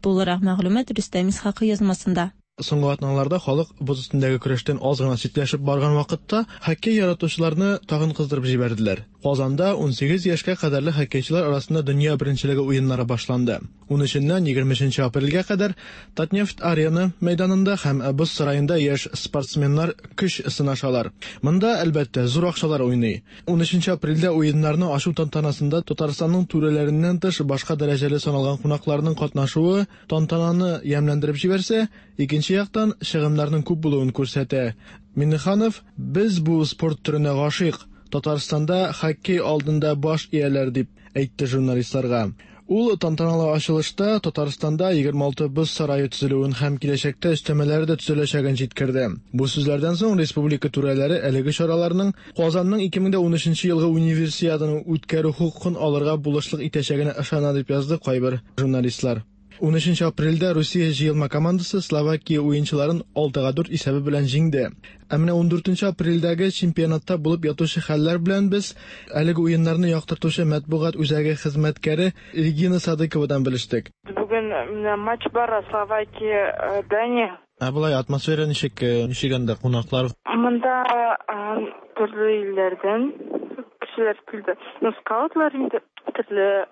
Тулырак мәгълүмат Рөстәм Исхакый язмасында. Соңгы атналарда халык боз өстендәге көрәштән аз гына читләшеп барган вакытта хоккей яратучыларны тагын кыздырып җибәрделәр. Казанда унсигез яшькә кадәрле хоккейчылар арасында дөнья беренчелеге уеннары башланды. Унөченнән егерме өченче апрельгә кадәр Татнефть арена мәйданында һәм боз сараенда яшь спортсменнар көч сынашалар. Монда, әлбәттә, зур акчалар уйный. Унөченче апрельдә уеннарны ачу тантанасында Татарстанның түрәләреннән тыш башка дәрәҗәле саналган кунакларның катнашуы тантананы ямьләндереп җибәрсә, икенче яктан чыгымнарның күп булуын күрсәтә. Миннеханов: "Без бу спорт төренә гашыйк, Татарстанда хоккей алдында баш ияләр", дип әйтте журналистларга. Ул тантаналы ачылышта Татарстанда егерме алты боз сарае төзелүен һәм киләчәктә өстәмәләре дә төзеләчәген җиткерде. Бу сүзләрдән соң республика түрәләре әлеге чараларның Казанның ике мең дә унөченче елгы универсиаданы үткәрү хокукын алырга булышлык итәчәгенә ышана дип язды кайбер журналистлар. Унөченче апрельдә Русия җыелма командасы Словакия уенчыларын алтыга дүрт исәбе белән җиңде. Ә менә ундүртенче апрельдәге чемпионатта булып ятучы хәлләр белән без әлеге уеннарны яктыртучы матбугат үзәге хезмәткәре Регина Садыковадан белештек. Бүген менә матч бара Словакия, Дания. Ә болай атмосфера ничек, ничек анда кунаклар? Монда төрле илләрдән кешеләр килде. Ну, скаутлар инде, төрле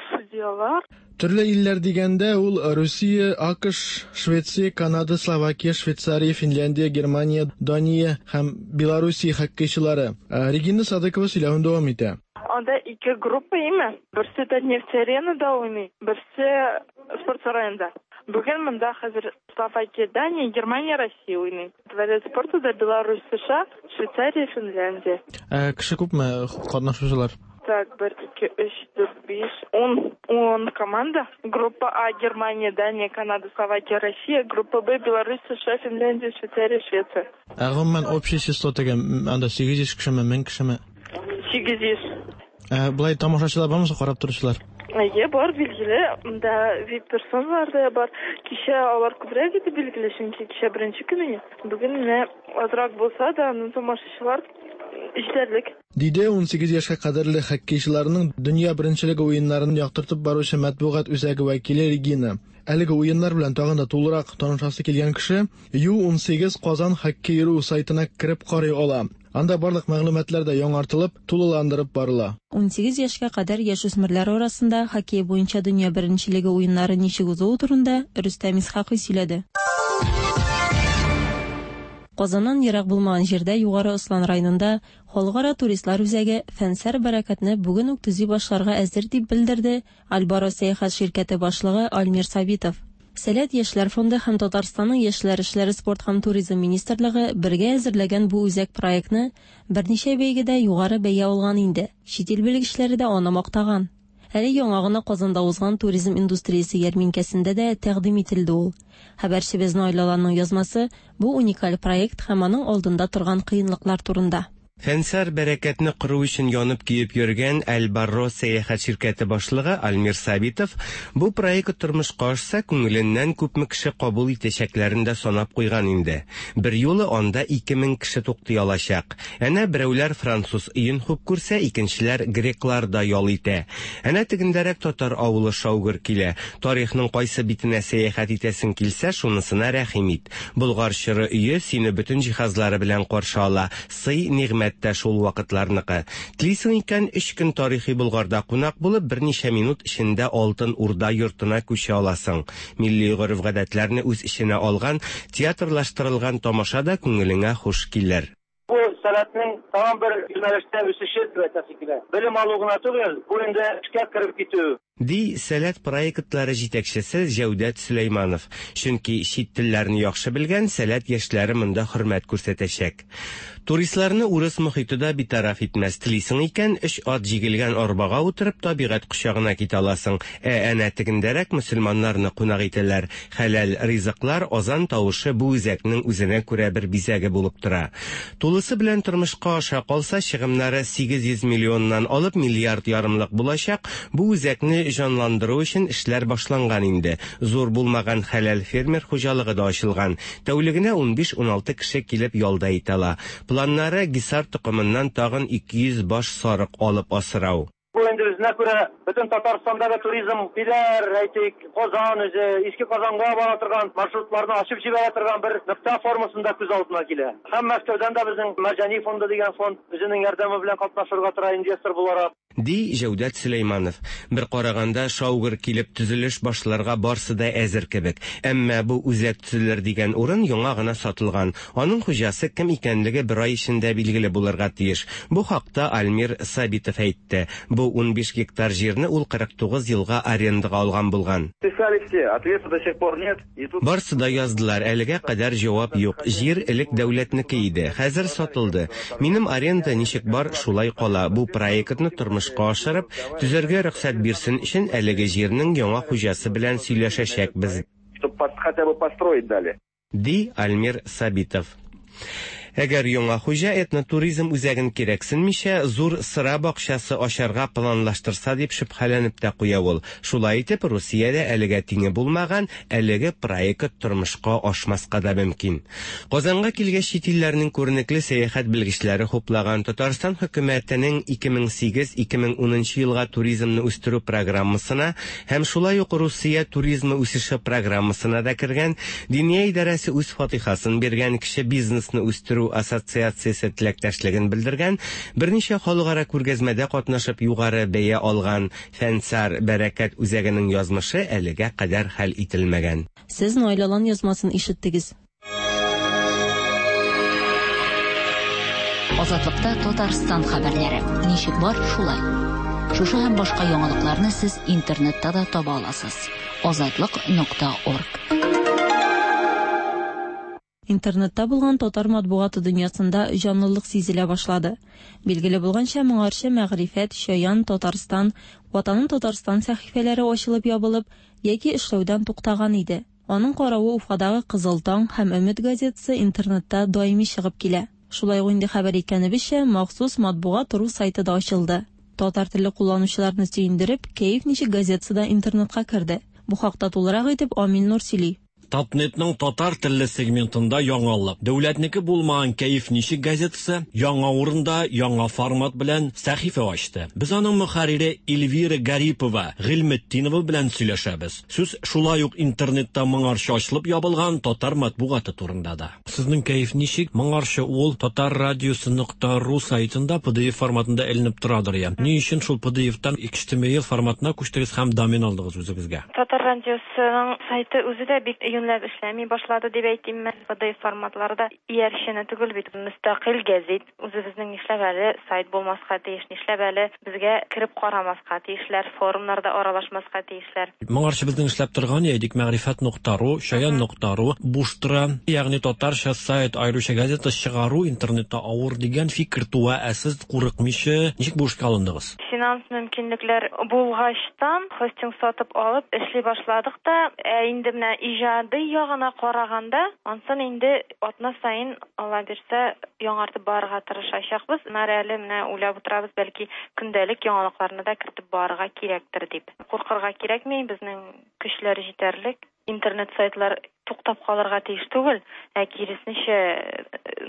судьялар. Төрле илләр дигәндә ул Русия, АКШ, Швеция, Канада, Словакия, Швейцария, Финляндия, Германия, Дания һәм Белоруссия хоккейчылары. Регина Садыкова сөйләвен дәвам итә. Анда ике группа име? Берсе Татнефть аренада уйный, берсе спорт сараенда. Бүген монда хәзер Словакия, Дания, Германия, Россия уйный. Дворец спорта да Беларусь, США, Швейцария, Финляндия. Ә кеше күпме катнашучылар? Так, бер, ике, өч, дүрт, биш, ун, ун команда. Группа А Германия, Дания, Канада, Словакия, Россия. Группа Б Беларусь, США, Финляндия, Швейцария, Швеция. Ә гомумән общий число теге анда сигез йөз кешеме, мең кешеме? Сигез йөз. Ә болай тамашачылар бармы, карап торучылар? Әйе, бар, билгеле. Монда ви ай пи-персоналар да бар. Кичә алар күбрәк иде, билгеле, чөнки кичә беренче көн иде. Бүген менә азрак булса да, аның тамашачылар җитәрлек. Диде унсигез яшькә кадәрле хоккейчыларның дөнья беренчелеге уеннарын яктыртып баручы матбугат үзәге вәкиле Регина. Әлеге уеннар белән тагын да тулырак танышасы килгән кеше Ю унсигез Казан хоккей ру сайтына кереп карый ала. Анда барлык мәгълүматлар да яңартылып, тулыландырып барыла. Унсигез яшькә кадәр яшүсмерләр арасында хоккей буенча дөнья беренчелеге уеннары ничек узуы турында Рөстәм Исхакый сөйләде. Казаннан ерак булмаган җирдә Югары Ослан районында Халыкара туристлар үзәге Фәнсәр бәрәкәтне бүген үк төзи башларга әзер дип белдерде Альбаро сәяхәт ширкәте башлыгы Альмир Сабитов. Сәләт яшьләр фонды һәм Татарстанның яшьләр эшләре спорт һәм туризм министрлыгы бергә әзерләгән бу үзәк проектны берничә бәйгедә югары бәя алган инде. Чит ил белгечләре дә аны мактаган. Әле яңа гына Казанда узган туризм индустриясе ярминкәсендә дә тәкъдим ителде ул. Хәбәрчебез Наилә язмасы бу уникаль проект һәм аның алдында торган кыенлыклар турында. Фәнсәр бәрәкәтне кору өчен янып киеп йөргән Альбарро сәяхәт ширкәте башлыгы Альмир Сабитов бу проект тормышка ашса, күңеленнән күпме кеше кабул итәчәкләрен дә санап куйган инде. Бер юлы анда ике мең кеше туктый алачак. Әнә берәүләр француз өен хуп күрсә, икенчеләр греклар да ял итә. Әнә тегендәрәк татар авылы шаугыр килә. Тарихның кайсы битенә сәяхәт итәсең килсә, шунысына рәхим ит. Болгар чоры өе сине бөтен җиһазлары белән каршы ала. Сый нигъмәт Сәләт тә шул вакытларныкы. Телисең икән, өч көн тарихи Болгарда кунак булып, берничә минут эчендә Алтын Урда йортына күчә аласың. Милли гореф-гадәтләрне үз эченә алган театрлаштырылган тамаша да күңелеңә хуш килер. Бу Сәләтнең тагын бер юнәлештә үсеше дип әйтәсе килә. Белем алу гына түгел, бу инде эшкә кереп китү. Ди Сәләт проектлары җитәкчесе Җәүдәт Сөләйманов. Чөнки чит телләрне яхшы белгән Сәләт яшьләре монда хөрмәт күрсәтәчәк. Туристларны урыс мохите дә битараф итмәс. Телисең икән, өч ат җигелгән арбага утырып табигать кочагына китә аласың. Ә әнә тегендәрәк мөселманнарны кунак итәләр. Хәләл ризыклар, азан тавышы бу үзәкнең үзенә күрә бер бизәге булып тора. Тулысы белән тормышка аша калса, чыгымнары сигез йөз миллионнан алып миллиард ярымлык булачак. Бу үзәкне җанландыру өчен эшләр башланган инде. Зур булмаган хәләл фермер хуҗалыгы да ачылган. Тәүлегенә унбиш-уналты кеше килеп ялда итә ала. Планнары Гисар токымыннан тагын ике йөз баш сарык алып асрау. Бу инде үзенә күрә бөтен Татарстандагы туризм Биләр, әйтик, Казан үзе, Иске Казанга бара торган маршрутларны ачып җибәрә торган бер нокта формасында күз алдына килә. Һәм Мәскәүдән дә безнең Мәрҗани фонды дигән фонд үзенең ярдәме белән катнашырга тора инвестор буларак. Ди Җәүдәт Сөләйманов. Бер караганда шаугыр килеп төзелеш башларга барсы да әзер кебек. Әмма бу үзәк төзелер дигән урын яңа гына сатылган. Аның хуҗасы кем икәнлеге бер ай эчендә билгеле булырга тиеш. Бу хакта Альмир Сабитов әйтте. Бу унбиш гектар җирне ул кырык тугыз елга арендага алган булган. Писали все, ответа до сих пор нет. Барсы да яздылар, әлегә кадәр җавап юк. Җир элек дәүләтнеке иде, хәзер сатылды. Минем аренда ничек бар, шулай кала. Бу проектны тормышка ашырып, төзергә рөхсәт бирсен өчен әлеге җирнең яңа хуҗасы белән сөйләшәчәкбез. Чтоб хотя бы построить дали. Ди Альмир Сабитов. Әгәр яңа хуҗа этнотуризм үзәген кирәксенмичә, зур сыра бакчасы ачарга планлаштырса дип шөбһәләнеп тә куя ул. Шулай итеп, Русиядә әлегә тиңе булмаган әлеге проект тормышка ашмаска да мөмкин. Казанга килгәч чит илләрнең күренекле сәяхәт белгечләре хуплаган Татарстан хөкүмәтенең ике мең сигез-ике мең унынчы елга туризмны үстерү программасына һәм шулай ук Русия туризмы үсеше программасына да кергән Диния идарәсе үз фатихасын биргән кеше бизнесны үстерү ассоциациясе теләктәшлеген белдергән, берничә халыкара күргәзмәдә катнашып югары бәя алган Фәнсар Бәрәкәт үзәгенең язмышы әлегә кадәр хәл ителмәгән. Сез Найлалан язмасын ишеттегез. Азатлыкта Татарстан хәбәрләре. Ничек бар, шулай. Шушы һәм башка яңалыкларны сез интернетта да таба аласыз. Азатлык нокта орг. Интернетта булган татар матбугаты дөньясында җанлылык сизелә башлады. Билгеле булганча, моңарчы Мәгърифәт, Чаян, Татарстан, Ватаным Татарстан сәхифәләре ачылып ябылып яки эшләүдән туктаган иде. Аның каравы Уфадагы Кызыл таң һәм Өмет газетасы интернетта даими чыгып килә. Шулай ук инде хәбәр иткәнебезчә, махсус матбугат ру сайты да ачылды. Татар теле кулланучыларны сөендереп, Кәеф ничек газетасы да интернетка керде. Бу хакта тулырак итеп Амил Нур сөйли. Татнетның татар телле сегментында яңалык. Дәүләтнеке булмаган Кәеф ничек газетасы яңа урында, яңа формат белән сәхифә ачты. Без аның мөхәррире Эльвира Гарипова, Гыйльметдинова белән сөйләшәбез. Сүз шулай ук интернетта моңарчы ачылып ябылган татар матбугаты турында да. Сезнең Кәеф ничек моңарчы ул татар радиосы нокта ру сайтында P D F форматында эленеп торадыр я. Ни өчен шул P D F-тан X T M L форматына күчтегез һәм домен алдыгыз үзегезгә? Татар радиосының сайты үзе дә бик юньләп эшләми башлады дип әйтим мин. P D F форматларда иярчене түгел бит, мөстәкыйль гәзит. Үзебезнең нишләп әле сайт булмаска тиеш, нишләп әле безгә кереп карамаска тиешләр, форумнарда аралашмаска тиешләр. Моңарчы безнең эшләп торган идек Мәгърифәт нокта ру, Чаян нокта ру буш тора, ягъни татарча сайт, аеруча газета чыгару интернетта авыр дигән фикер туа, ә сез курыкмыйча ничек бу эшкә алындыгыз? Финанс мөмкинлекләр булгачтан хостинг сатып алып эшли башладык та, ә инде менә иҗади ягына караганда, ансын инде атна саен Алла бирсә яңартып барырга тырышачакбыз. Менә әле менә уйлап утырабыз, бәлки көндәлек яңалыкларны да кертеп барырга кирәктер дип. Куркырга кирәкми, безнең көчләр җитәрлек. Интернет сайтлар туктап калырга тиеш түгел, ә киресенчә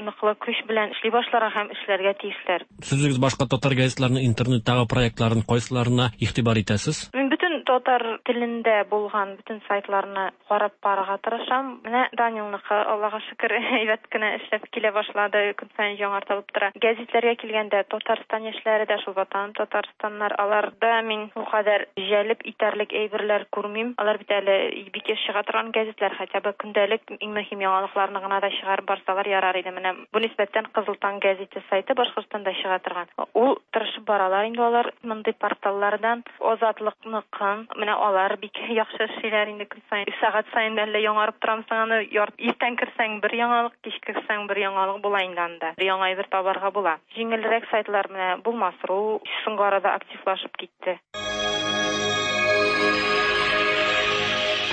ныклы көч белән эшли башларга һәм эшләргә тиешләр. Сез үзегез башка татар газетларының интернеттагы проектларын кайсыларына игътибар итәсез? Мин бөтен Татар телендә булган бөтен сайтларны карап барырга тырышам. Менә Данилныкы, Аллага шөкер, әйбәт кенә эшләп килә башлады, көн саен яңартылып тора. Гәзитләргә килгәндә, Татарстан яшьләре дә шул Ватаным Татарстаннар, аларда мин ул кадәр җәлеп итәрлек әйберләр күрмим. Алар бит әле бик еш чыга торган гәзитләр, хотя бы көндәлек иң мөһим яңалыкларны гына да чыгарып барсалар ярар иде. Менә бу нисбәттән Кызыл таң гәзите сайты Башкортстанда чыга торган. Ул тырышып баралар инде алар мондый порталлардан. Азатлыкныкын, менә алар бик яхшы эшлиләр инде, көн саен, сәгать саен әллә яңарып торамсың аны, иртән керсәң бер яңалык, кич керсәң бер яңалык була инде анда. Бер яңа әйбер табарга була. Җиңелрәк сайтлар менә Булмас.ру соңгы арада активлашып китте.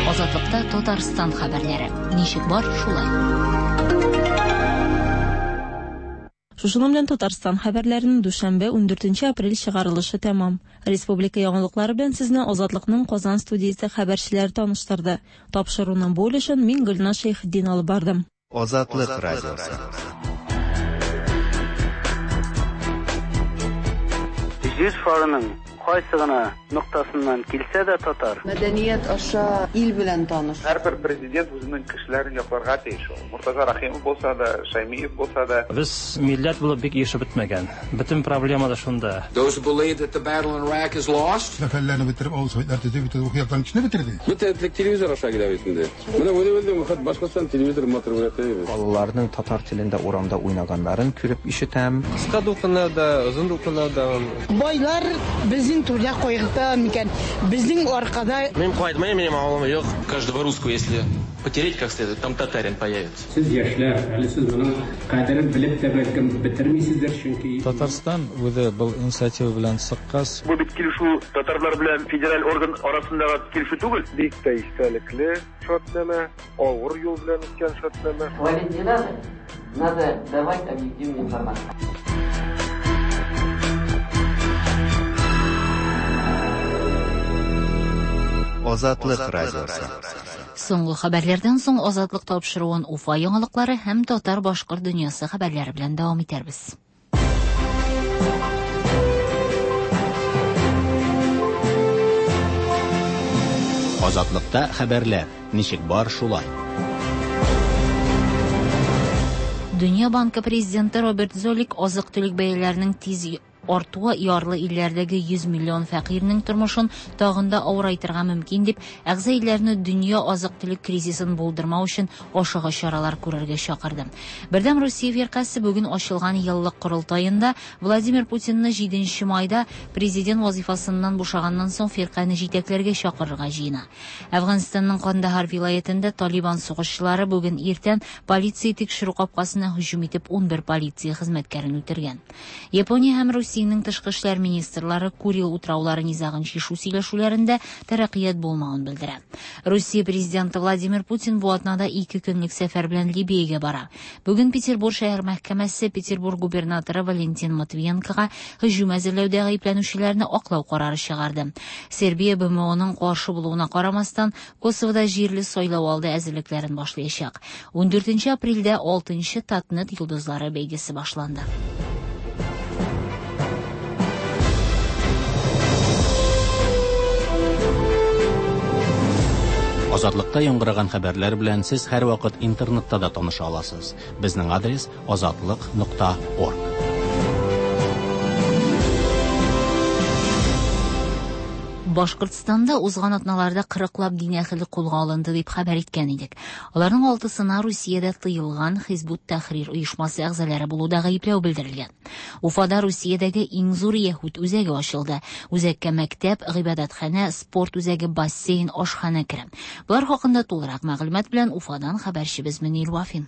Азатлыкта Татарстан хәбәрләре. Ничек бар, шулай. Шушының белән Татарстан хәбәрләренең дүшәмбе ундүртенче апрель чыгарылышы тәмам. Республика яңалыклары белән сезне Азатлыкның Казан студиясе хәбәрчеләре таныштырды. Тапшыруның бу өлешен мин Гөлназ Шәйхетдин алып бардым. Азатлык радиосы. Җир шарының кайсы гына ноктасыннан килсә дә татар. Мәдәният аша ил белән таныш. Һәрбер президент үзенең кешеләрен якларга тиеш. Муртаза Рахимов булса да, Шаймиев булса да. Без милләт булып бик ешеп бетмәгән. Бөтен проблема да шунда. Those who believe that the battle in Iraq is lost. Мәхәлләне бетереп, авыл советлар төзеп, бөтен рухи яктан кешене бетерде. Бөтен телевизор аша килә бит инде. Менә үзе-үзе хат Башкортстан телевизор матур күрәтә. Балаларның татар телендә урамда уйнаганнарын күреп ишетәм. Кыска дулкыннарда, озын дулкыннарда. Байлар безнең түрдә кайгырта микән? Безнең аркада. Мин кайтмыйм, минем авылым юк. Каждого русского, если потереть как следует, там татарин появится. Сез яшьләр, әле сез моның кадерен белеп тә бәлкем бетермисездер, чөнки Татарстан үзе был инициатива белән чыккач. Бу бит килешү татарлар белән федераль орган арасындагы килешү түгел. Бик тә истәлекле шартнамә, авыр юл белән үткән шартнамә. Хвалить не надо, надо давать объективную информацию. Азатлык радиосы. Соңгы хәбәрләрдән соң Азатлык тапшыруын Уфа яңалыклары һәм татар-башкорт дөньясы хәбәрләре белән дәвам итәрбез. Азатлыкта хәбәрләр ничек бар, шулай. Дөнья банкы президенты Роберт Золик азык-төлек бәяләренең тиз артуы ярлы илләрдәге йөз миллион фәкыйрьнең тормышын тагын да авырайтырга мөмкин дип, әгъза илләрне дөнья азык-төлек кризисын булдырмау өчен ашыгыч чаралар күрергә чакырды. Бердәм Русия фиркасе бүген ачылган еллык корылтаенда Владимир Путинны җиденче майда президент вазифасыннан бушаганнан соң фиркане җитәкләргә чакырырга җыена. Әфганстанның Кандahar вилаятендә Талибан сугышчылары бүген иртән полиция тикшерү капкасына һөҗүм итеп унбер полиция хезмәткәрен үтергән. Япония һәм Русия Россиянең тышкы эшләр министрлары Курил утраулары низагын чишү сөйләшүләрендә тәрәккыят булмавын белдерә. Русия президенты Владимир Путин бу атнада ике көнлек сәфәр белән Либиягә бара. Бүген Петербург шәһәр мәхкәмәсе Петербург губернаторы Валентин Матвиенкога һөҗүм әзерләүдә гаепләнүчеләрне аклау карары чыгарды. Сербия Б М Оның каршы булуына карамастан Косовода җирле сайлау алды әзерлекләрен башлаячак. Ундүртенче апрельдә алтынчы Татнет йолдызлары бәйгесе башланды. Азатлыкта яңгыраган хәбәрләр белән сез һәрвакыт интернетта да таныша аласыз. Безнең адрес азатлык нокта орг. Башкортстанда узган атналарда кырыклап дин әһеле кулга алынды дип хәбәр иткән идек. Аларның алтысына Русиядә тыелган Хизбут Тәхрир оешмасы әгъзалары булуда гаепләү белдерелгән. Уфада Русиядәге иң зур яһүд үзәге ачылды. Үзәккә мәктәп, гыйбадәтханә, спорт үзәге, бассейн, ашханә керә. Болар хакында тулырак мәгълүмат белән Уфадан хәбәрчебез Мөнир Вафин.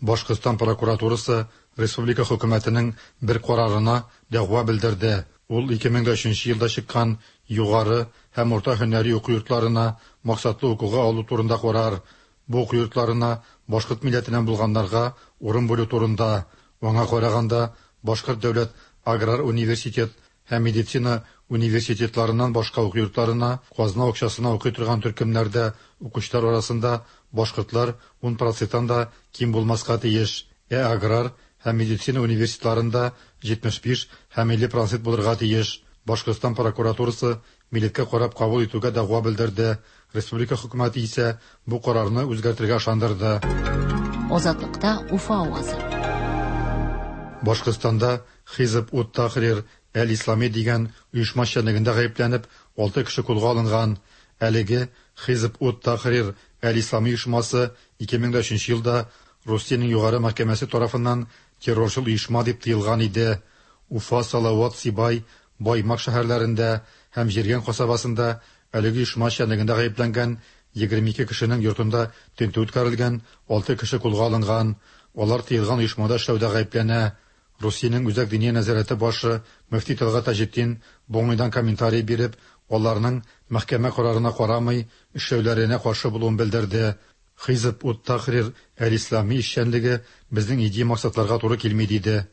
Башкортстан прокуратурасы республика хөкүмәтенең бер карарына дәгъва белдерде. Ул ике мең дә өченче елда чыккан югары һәм урта һөнәри уку йортларына максатлы укуга алу турында карар. Бу уку йортларына башкорт милләтеннән булганнарга урын бүлү турында. Аңа караганда Башкорт дәүләт аграр университет һәм медицина университетларыннан башка уку йортларына казна акчасына укый торган төркемнәрдә укучылар арасында башкортлар ун проценттан да ким булмаска тиеш. Ә аграр һәм медицина университетларында җитмеш биш һәм илле процент булырга тиеш. Башкортстан прокуратурасы милләткә карап кабул итүгә дәгъва белдерде. Республика хөкүмәте исә бу карарны үзгәртергә ышандырды. Азатлыкта Уфа авазы. Башкортстанда Хизб ут-Тахрир әл-Ислами дигән оешма эшчәнлегендә гаепләнеп, алты кеше кулга алынган. Әлеге Хизб ут-Тахрир әл-Ислами оешмасы ике мең дә өченче елда Русиянең югары мәхкәмәсе тарафыннан террорчыл оешма дип тыелган иде. Уфа, Салават, Сибай, Баймак шәһәрләрендә һәм Җиргән касабасында әлеге оешма эшчәнлегендә гаепләнгән егерме ике кешенең йортында тентү үткәрелгән, алты кеше кулга алынган. Алар тыелган оешмада эшләүдә гаепләнә. Русиянең Үзәк диния нәзарәте башы мөфти Тәлгать Таҗетдин бу уңайдан комментарий биреп, аларның мәхкәмә карарына карамый эшләүләренә каршы булуын белдерде. Хизб ут-Тахрир әл-Ислами эшчәнлеге безнең идея максатларга туры килми, диде.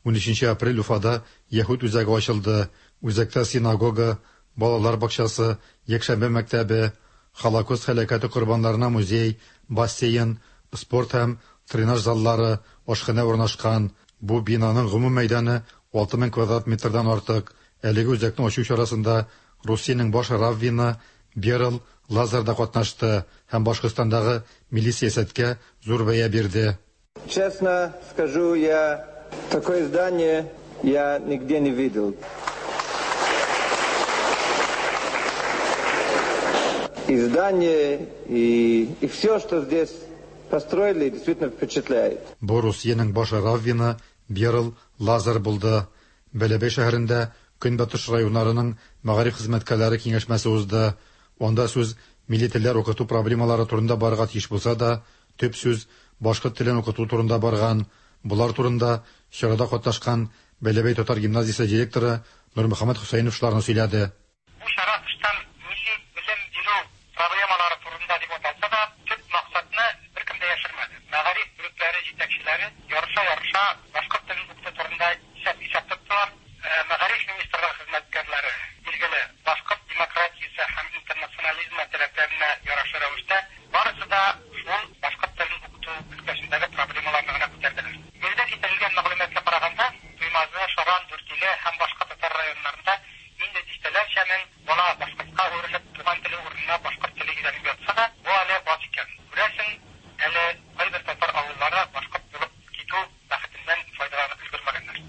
Унөченче апрель Уфада Яһүд үзәге ачылды. Үзәктә синагога, балалар бакчасы, якшәмбе мәктәбе, Холокост һәлакәте корбаннарына музей, бассейн, спорт һәм тренаж заллары, ашханә урнашкан. Бу бинаның гомум мәйданы алты мең квадрат метрдан артык. Әлеге үзәкне ачу чарасында Русиянең баш раввины Берл Лазар да катнашты һәм Башкортстандагы милли сәясәткә зур бәя бирде. Честно скажу, я такое здание я нигде не видел. И здание, и, и все, что здесь построили, действительно впечатляет. Бу Русиянең баш раввины Берл Лазар булды. Бәләбәй шәһәрендә Көнбатыш районнарының мәгариф хезмәткәрләре киңәшмәсе узды. Анда сүз милли телләр укыту проблемалары турында барырга тиеш булса да, төп сүз башкорт телен укыту турында барган. Булар турында чарада катнашкан Бәләбәй татар гимназиясе директоры Нурмөхәммәт Хөсәйнов шуларны сөйләде. Бу чара тыштан милли белем бирү проблемалары турында дип аталса да, төп максатны беркем дә яшермәде. Мәгариф бүлекләре җитәкчеләре ярыша-ярыша башкорт телен укыту турында исәп-хисап тоттылар. Мәгариф министрлыгы хезмәткәрләре, билгеле, башкорт демократиясе һәм интернационализмы таләпләренә ярашлы рәвештә барысы да шул башкорт телен укыту өлкәсендәге проблемаларны гына күтәрделәр. Биредә китерелгән мәгълүматка караганда, Туймазы, Шаран, Дүртөйле һәм башка татар районнарында инде дистәләрчә мең бала башкортка әверелеп, туган теле урынына башкорт теле өйрәнеп ятса да, бу әле аз икән. Күрәсең, әле кайбер татар авыллары башкорт булып китү бәхетеннән файдаланып өлгермәгәннәр.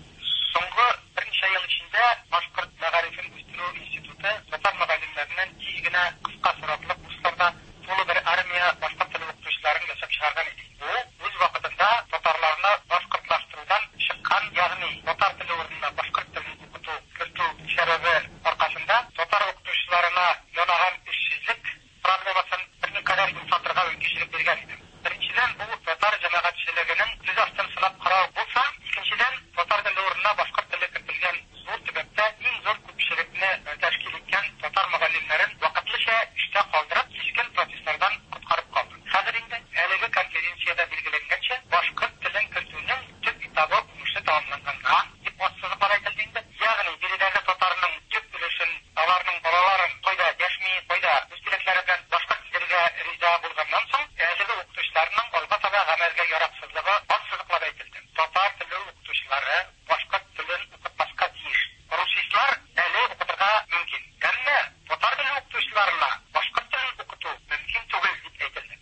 Соңгы берничә ел эчендә Башкорт мәгарифен үстерү институты татар мөгаллимнәреннән тиз генә кыска соратлы курсларда тулы бер армия башкорт теле укытучыларын ясап чыгарган иде. Бу үз вакытында татарларны башкортлаштырудан чыккан, ягъни татар теле урынына башкорт телен укыту кертү сәбәбе аркасында татар укытучыларына янаган эшсезлек проблемасын берникадәр йомшартырга мөмкинчелек биргән иде. Беренчедән, бу татар җәмәгатьчелегенең сүз астын сынап карау булса, икенчедән, татар теле урынына башкорт теле кертелгән зур төбәктә иң зур күпчелекне тәшкил иткән татар мөгаллимнәрен вакытлыча эштә калдырып, кискен протестлардан коткарып калды. Хәзер инде әлеге конференциядә билгеләнгәнчә, башкорт телен кертүнең төп этабы уңышлы тәмамланганга дип ассызыклап әйтелде инде. Ягъни биредәге татарның төп өлешен, аларның балаларын кайда дәшми, кайда үз теләкләре белән башкорт телгә риза булганнан соң, әлеге укытучыларның алга таба гамәлгә яраксызлыгы ассызыклап әйтелде. Татар теле укытучылары башкорт телен укытмаска тиеш. Русистлар әле укытырга мөмкин. Әмма татар теле укытучыларына башкорт телен укыту мөмкин түгел дип әйтелде.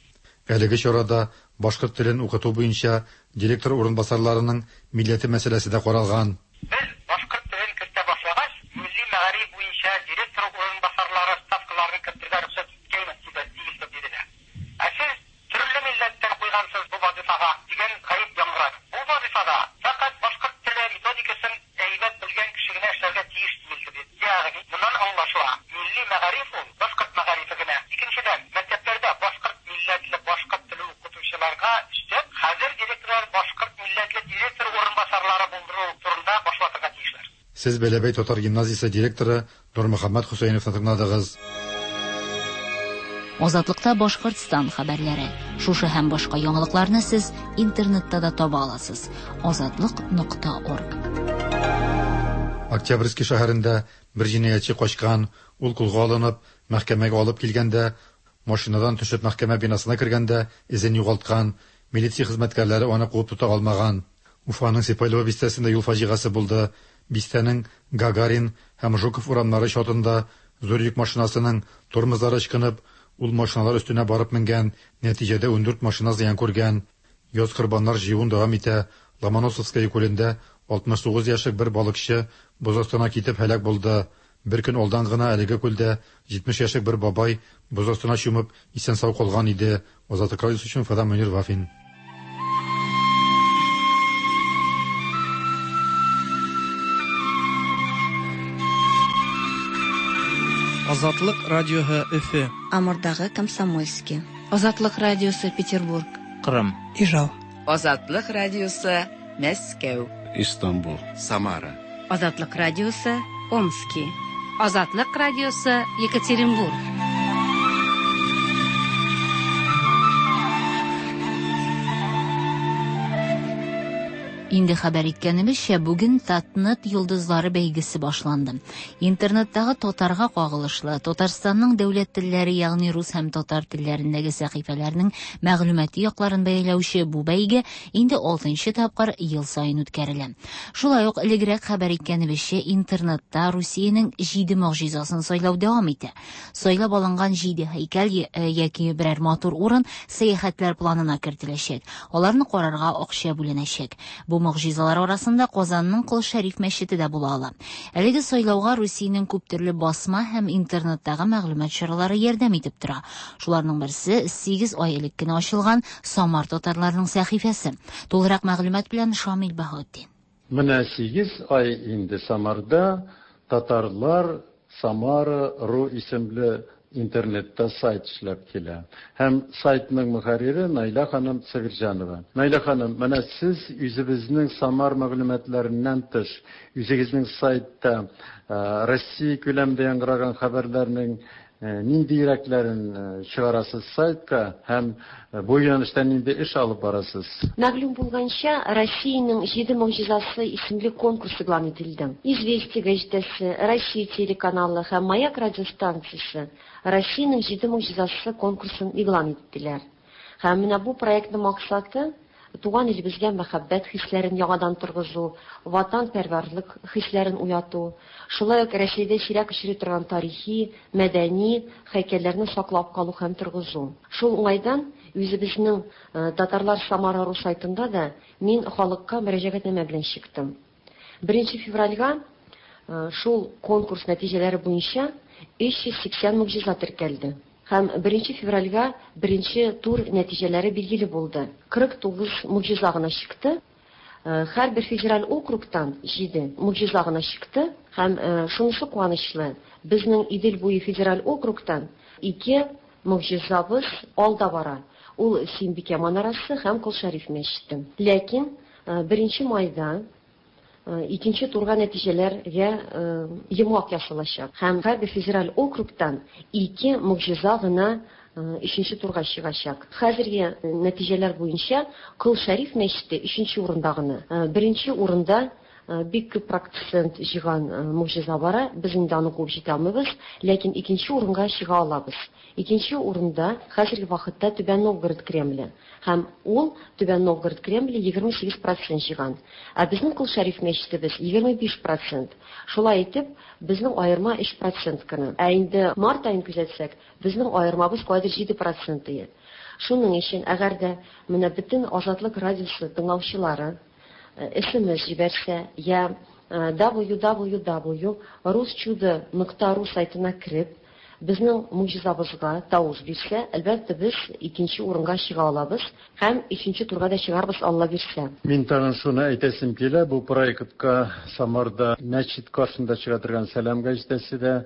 Әлеге чарада башкорт телен укыту буенча директор урынбасарларының милләте мәсьәләсе дә каралган. Без башкорт телен кертә башлагач, милли мәгариф буенча директор урынбасарлары ставкаларын кертергә рөхсәт иткәйме дип диелде диделәр. Ә сез төрле милләттән куйгансыз бу вазифага дигән гаеп яңгырады. Бу вазифада фәкать башкорт теле методикасын әйбәт белгән кеше генә эшләргә тиеш диелде бит. Ягъни моннан аңлашыла, милли мәгариф ул башкорт мәгарифе генә. Икенчедән, мәктәпләрдә башкорт милләтле башкорт теле укытучыларга өстәп, хәзер директорлар башкорт милләтле директор урынбасарлары булдыру турында башлатырга тиешләр. Сез Бәләбәй татар гимназиясе директоры Нурмөхәммәт Хөсәйновны тыңладыгыз. Азатлыкта Башкортстан хәбәрләре. Шушы һәм башка яңалыкларны сез интернетта да таба аласыз. Азатлык нокта орг. Октябрьский шәһәрендә бер җинаятьче качкан, ул кулга алынып, мәхкәмәгә алып килгәндә, машинадан төшеп мәхкәмә бинасына кергәндә эзен югалткан, милиция хезмәткәрләре аны куып тота алмаган. Уфаның Сипайлово бистәсендә юл фаҗигасе булды. Бистәнең Гагарин һәм Жуков урамнары чатында Зур йөк машинасының тормозлары ычкынып, ул машиналар өстенә барып менгән, нәтиҗәдә ундүрт машина зыян күргән. Яз корбаннар җыюын дәвам итә. Ломоносовская күлендә алтмыш тугыз яшьлек бер балыкчы боз астына китеп һәлак булды. Бер көн алдан гына әлеге күлдә җитмеш яшьлек бер бабай боз астына чумып, исән-сау калган иде. Азатлык радиосы өчен Уфадан Мөнир Вафин. Азатлык радиоһы Өфе. Амурдагы Комсомольский. Азатлык радиосы Петербург. Кырым. Ижау. Азатлык радиосы Мәскәү. Истанбул. Самара. Азатлык радиосы Омски. Азатлык радиосы Екатеринбург. Инде хәбәр иткәнебезчә, бүген Татнет йолдызлары бәйгесе башланды. Интернеттагы татарга кагылышлы Татарстанның дәүләт телләре, ягъни рус һәм татар телләрендәге сәхифәләрнең мәгълүмати якларын бәяләүче бу бәйге инде алтынчы тапкыр ел саен үткәрелә. Шулай ук элегрәк хәбәр иткәнебезчә, интернетта Русиянең җиде могҗизасын сайлау дәвам итә. Сайлап алынган җиде һәйкәл яки берәр матур урын сәяхәтләр планына кертеләчәк. Аларны карарга акча бүленәчәк. Бу могҗизалар арасында Казанның Кол Шәриф мәчете дә була ала. Әлеге сайлауга Русиянең күп төрле басма һәм интернеттагы мәгълүмат чаралары ярдәм итеп тора. Шуларның берсе сигез ай элек кенә ачылган Самар татарларының сәхифәсе. Тулырак мәгълүмат белән Шамил Баһаутдин. Менә сигез ай инде Самарда татарлар Самара ру исемле интернетта сайт эшләп килә. Һәм сайтның мөхәррире Наилә ханым Сабирҗанова. Наилә ханым, менә сез үзебезнең Самар мәгълүматларыннан тыш, үзегезнең сайтта Россия күләмендә яңгыраган хәбәрләрнең ниндирәкләрен чыгарасыз сайтка һәм бу юнәлештә нинди эш алып барасыз? Мәгълүм булганча, Россиянең җиде могҗизасы исемле конкурс игълан ителде. Известия гәҗитәсе, Россия телеканалы һәм Маяк радиостанциясе Россиянең җиде могҗизасы конкурсын игълан иттеләр. Һәм менә бу проектның максаты туган илебезгә мәхәббәт хисләрен яңадан торгызу, ватанпәрвәрлек хисләрен уяту, шулай ук Рәсәйдә сирәк очрый торган тарихи, мәдәни һәйкәлләрне саклап калу һәм торгызу. Шул уңайдан үзебезнең Татарлар Самара ру сайтында да мин халыкка мөрәҗәгатьнамә белән чыктым. Беренче февральгә шул конкурс нәтиҗәләре буенча өч йөз сиксән могҗиза теркәлде. Һәм беренче февральгә беренче тур нәтиҗәләре билгеле булды. Кырык тугыз могҗиза гына чыкты. Һәрбер федераль округтан җиде могҗиза гына чыкты. Һәм шунысы куанычлы, безнең Идел буе федераль округтан ике могҗизабыз алда бара. Ул Симбикә манарасы һәм Кол Шәриф мәчете. Ләкин беренче майда икенче турга нәтиҗәләргә йомгак ясалачак. Һәм һәрбер федераль округтан ике могҗиза гына өченче турга чыгачак. Хәзерге нәтиҗәләр буенча Кол Шәриф мәчете өченче урында гына. Беренче урында бик күп процент җыйган могҗиза бара. Без инде аны куып җитә алмыйбыз, ләкин икенче урынга чыга алабыз. Икенче урында хәзерге вакытта Түбән Новгород Кремле. Һәм ул Түбән Новгород Кремле егерме сигез процент җыйган. Ә безнең Кол Шәриф мәчетебез егерме биш процент. Шулай итеп, безнең аерма өч процент кына. Ә инде март аен күзәтсәк, безнең аермабыз кайдыр җиде процент ие. Шуның өчен, әгәр дә менә бөтен Азатлык радиосы тыңлаучылары эс эм эс җибәрсә, я дабл-ю дабл-ю дабл-ю русчудо нокта ру сайтына кереп, безнең могҗизабызга тавыш бирсә, әлбәттә без икенче урынга чыга алабыз һәм өченче турга да чыгарбыз, Алла бирсә. Мин тагын шуны әйтәсем килә, бу проектка Самарда мәчет каршында чыга торган Сәлам гәҗитәсе дә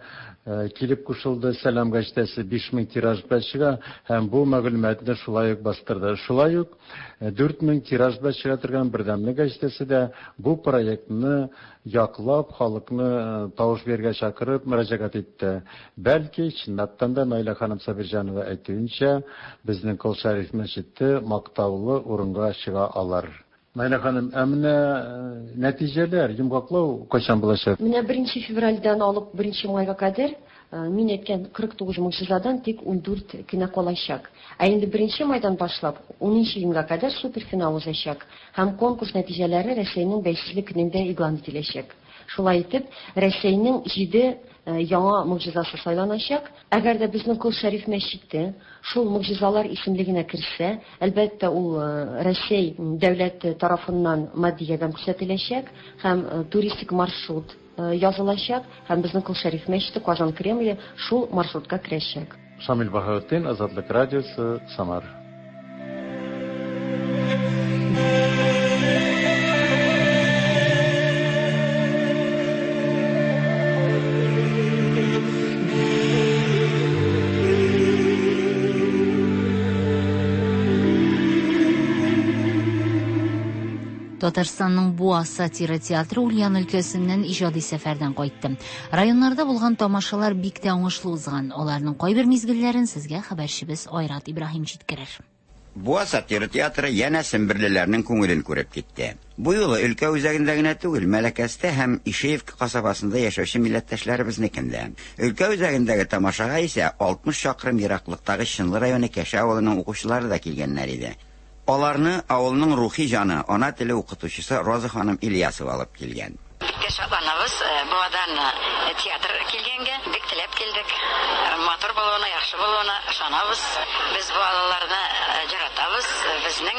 килеп кушылды. Сәлам гәҗитәсе биш мең тираж белән чыга һәм бу мәгълүматны шулай ук бастырды. Шулай ук дүрт мең тираж белән чыга торган Бердәмлек гәҗитәсе дә бу проектны яклап, халыкны тавыш бирергә чакырып мөрәҗәгать итте. Бәлки, чынлаптан да Наилә ханым Сабирҗанова әйтүенчә, безнең Кол Шәриф мәчете мактаулы урынга чыга алар. Наилә ханым, ә менә нәтиҗәләр, йомгаклау кайчан булачак? Менә беренче февральдән алып беренче майга кадәр мин әйткән кырык тугыз могҗизадан тик ундүрт кенә калачак. Ә инде беренче майдан башлап унынчы июньгә кадәр суперфинал узачак һәм конкурс нәтиҗәләре Рәсәйнең бәйсезлек көнендә игълан ителәчәк. Шулай итеп, Рәсәйнең җиде яңа могҗизасы сайланачак. Әгәр дә безнең Кол Шәриф мәчете шул могҗизалар исемлегенә керсә, әлбәттә, ул Рәсәй дәүләте тарафыннан матди ярдәм күрсәтеләчәк һәм туристик маршрут язылачак, һәм безнең Кол Шәриф мәчете Казан Кремле шул маршрутка керәчәк. Шамил Баһаутдин, Азатлык радиосы, Самар. Татарстанның Буа сатира театры Ульян өлкәсеннән иҗади сәфәрдән кайтты. Районнарда булган тамашалар бик тә уңышлы узган. Аларның кайбер мизгелләрен сезгә хәбәрчебез Айрат Ибраһим җиткерер. Буа сатира театры янә семберлеләрнең күңелен күреп китте. Бу юлы өлкә үзәгендә генә түгел, Мәләкәстә һәм Ишеевка касабасында яшәүче милләттәшләребезнекендә. Өлкә үзәгендәге тамашага исә алтмыш чакрым ераклыктагы Чынлы районы Кәшә авылының укучылары да килгәннәр иде. Аларны авылның рухи җаны, ана теле укытучысы Роза ханым Ильясова алып килгән. Бик шатланабыз, Буадан театр килгәнгә бик теләп килдек. Матур булуына, яхшы булуына ышанабыз. Без балаларны яратабыз, безнең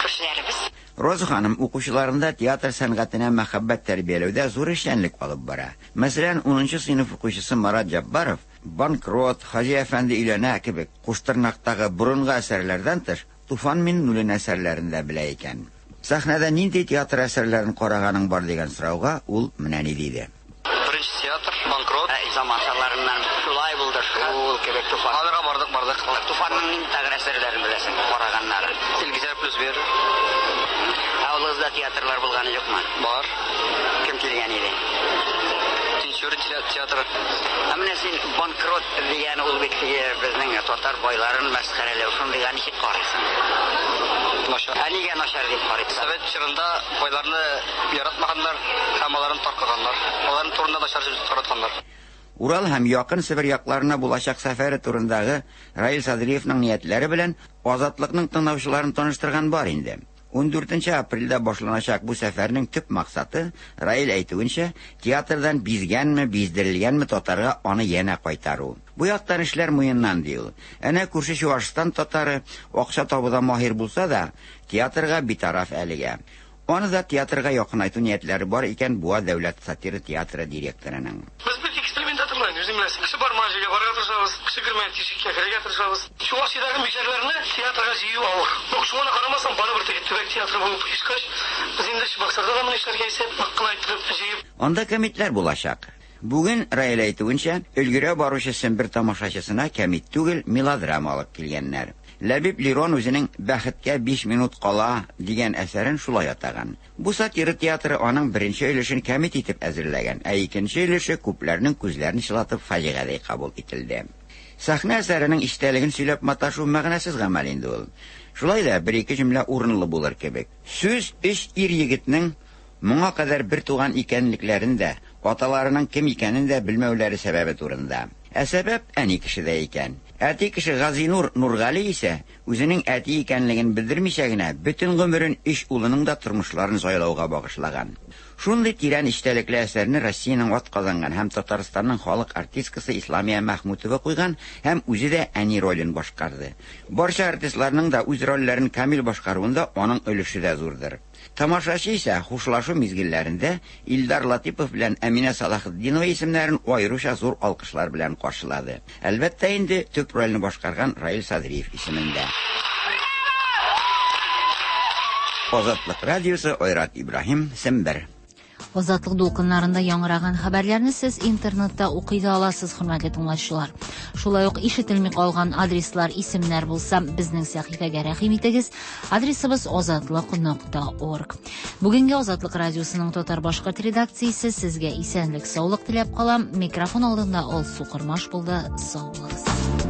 күршеләребез. Роза ханым укучыларында театр сәнгатенә мәхәббәт тәрбияләүдә зур эшчәнлек алып бара. Мәсәлән, унынчы сыйныф укучысы Марат Җаббаров «Банкрот», «Хаҗи әфәнде өйләнә» кебек куштырнактагы борынгы әсәрләрдән тыш Туфан Миннуллин әсәрләрен дә белә икән. Сәхнәдә нинди театр әсәрләрен караганың бар дигән сорауга ул менә ни диде. Беренче театр «Банкрот», заманчаларыннан шулай булды шул кебек Туфан. Аларга бардык, бардык. Туфанның нинди тагы әсәрләрен беләсең, караганнары? Илгизәр плюс бер. Авылыгызда театрлар булганы юкмы? Бар. Кем килгән иде? Тинчурин театры. Ә менә син «Банкрот» дигән ул бит безнең татар байларын мәсхәрәләү, шундыйга ничек карыйсың? Начар. Ә нигә начар дип карыйсың? Совет чорында байларны яратмаганнар һәм аларын таркаганнар. Аларның турында начар сүз таратканнар. Урал һәм якын Себер якларына булачак сәфәре турындагы Раил Садриевның ниятләре белән Азатлыкның тыңлаучыларын таныштырган бар инде. ун дүртенче апрельдә башланачак бу сәфәрнең төп максаты, Раил әйтүенчә, театрдан бизгәнме, биздерелгәнме татарга аны янә кайтару. Бу яктан эшләр муеннан ди ул. Әнә күрше Чуашстан татары акча табуда маһир булса да, театрга битараф әлегә. Аны да театрга якынайту ниятләре бар икән Буа дәүләт сатира театры директорының. Без бит экспериментаторлар, үзең беләсең. Кеше бармаган җиргә барырга тырышабыз, кеше кермәгән тишеккә керергә тырышабыз. Чуашиядәге мишәрләрне театрга җыю авыр. Юк, шуңа карамастан барыбер теге төбәк театры булып оешкач, без инде Чабаксарда да моны эшләргә исәп, нык кына итеп җыеп. Анда кәмитләр булачак. Бүген Раил әйтүенчә, өлгерә баручы Сембер тамашачысына кәмит түгел, мелодрама алып килгәннәр. Ләбиб Лерон үзенең «Бәхеткә биш минут кала» дигән әсәрен шулай атаган. Бу сатира театры аның беренче өлешен кәмит итеп әзерләгән, ә икенче өлеше күпләрнең күзләрен чылатып фаҗигадәй кабул ителде. Сәхнә әсәренең эчтәлеген сөйләп маташу мәгънәсез гамәл инде ул. Шулай да бер-ике җөмлә урынлы булыр кебек. Сүз өч ир егетнең моңа кадәр бер туган икәнлекләрен дә, аталарының кем икәнен дә белмәүләре сәбәбе турында. Ә сәбәп әни кешедә икән. Әти кеше Газинур Нургали исә үзенең әти икәнлеген белдермичә генә бөтен гомерен өч улының да тормышларын сайлауга багышлаган. Шундый тирән эчтәлекле әсәрне Россиянең атказанган һәм Татарстанның халык артисткасы Исламия Мәхмүтова куйган һәм үзе дә әни ролен башкарды. Барча артистларның да үз рольләрен камил башкаруында аның өлеше дә зурдыр. Тамашачы исә хушлашу мизгелләрендә Илдар Латипов белән Әминә Салахетдинова исемнәрен аеруча зур алкышлар белән каршылады. Әлбәттә инде төп рольне башкарган Раил Садриев исемендә. Азатлык радиосы, Айрат Ибраһим, Сембер. Азатлык дулкыннарында яңгыраган хәбәрләрне сез интернетта укый да аласыз, хөрмәтле тыңлаучылар. Шулай ук ишетелми калган адреслар, исемнәр булса, безнең сәхифәгә рәхим итегез. Адресыбыз азатлык нокта орг. Бүгенге Азатлык радиосының татар-башкорт редакциясе сезгә исәнлек, саулык теләп кала. Микрофон алдында Алсу Кормаш булды. Сау булыгыз.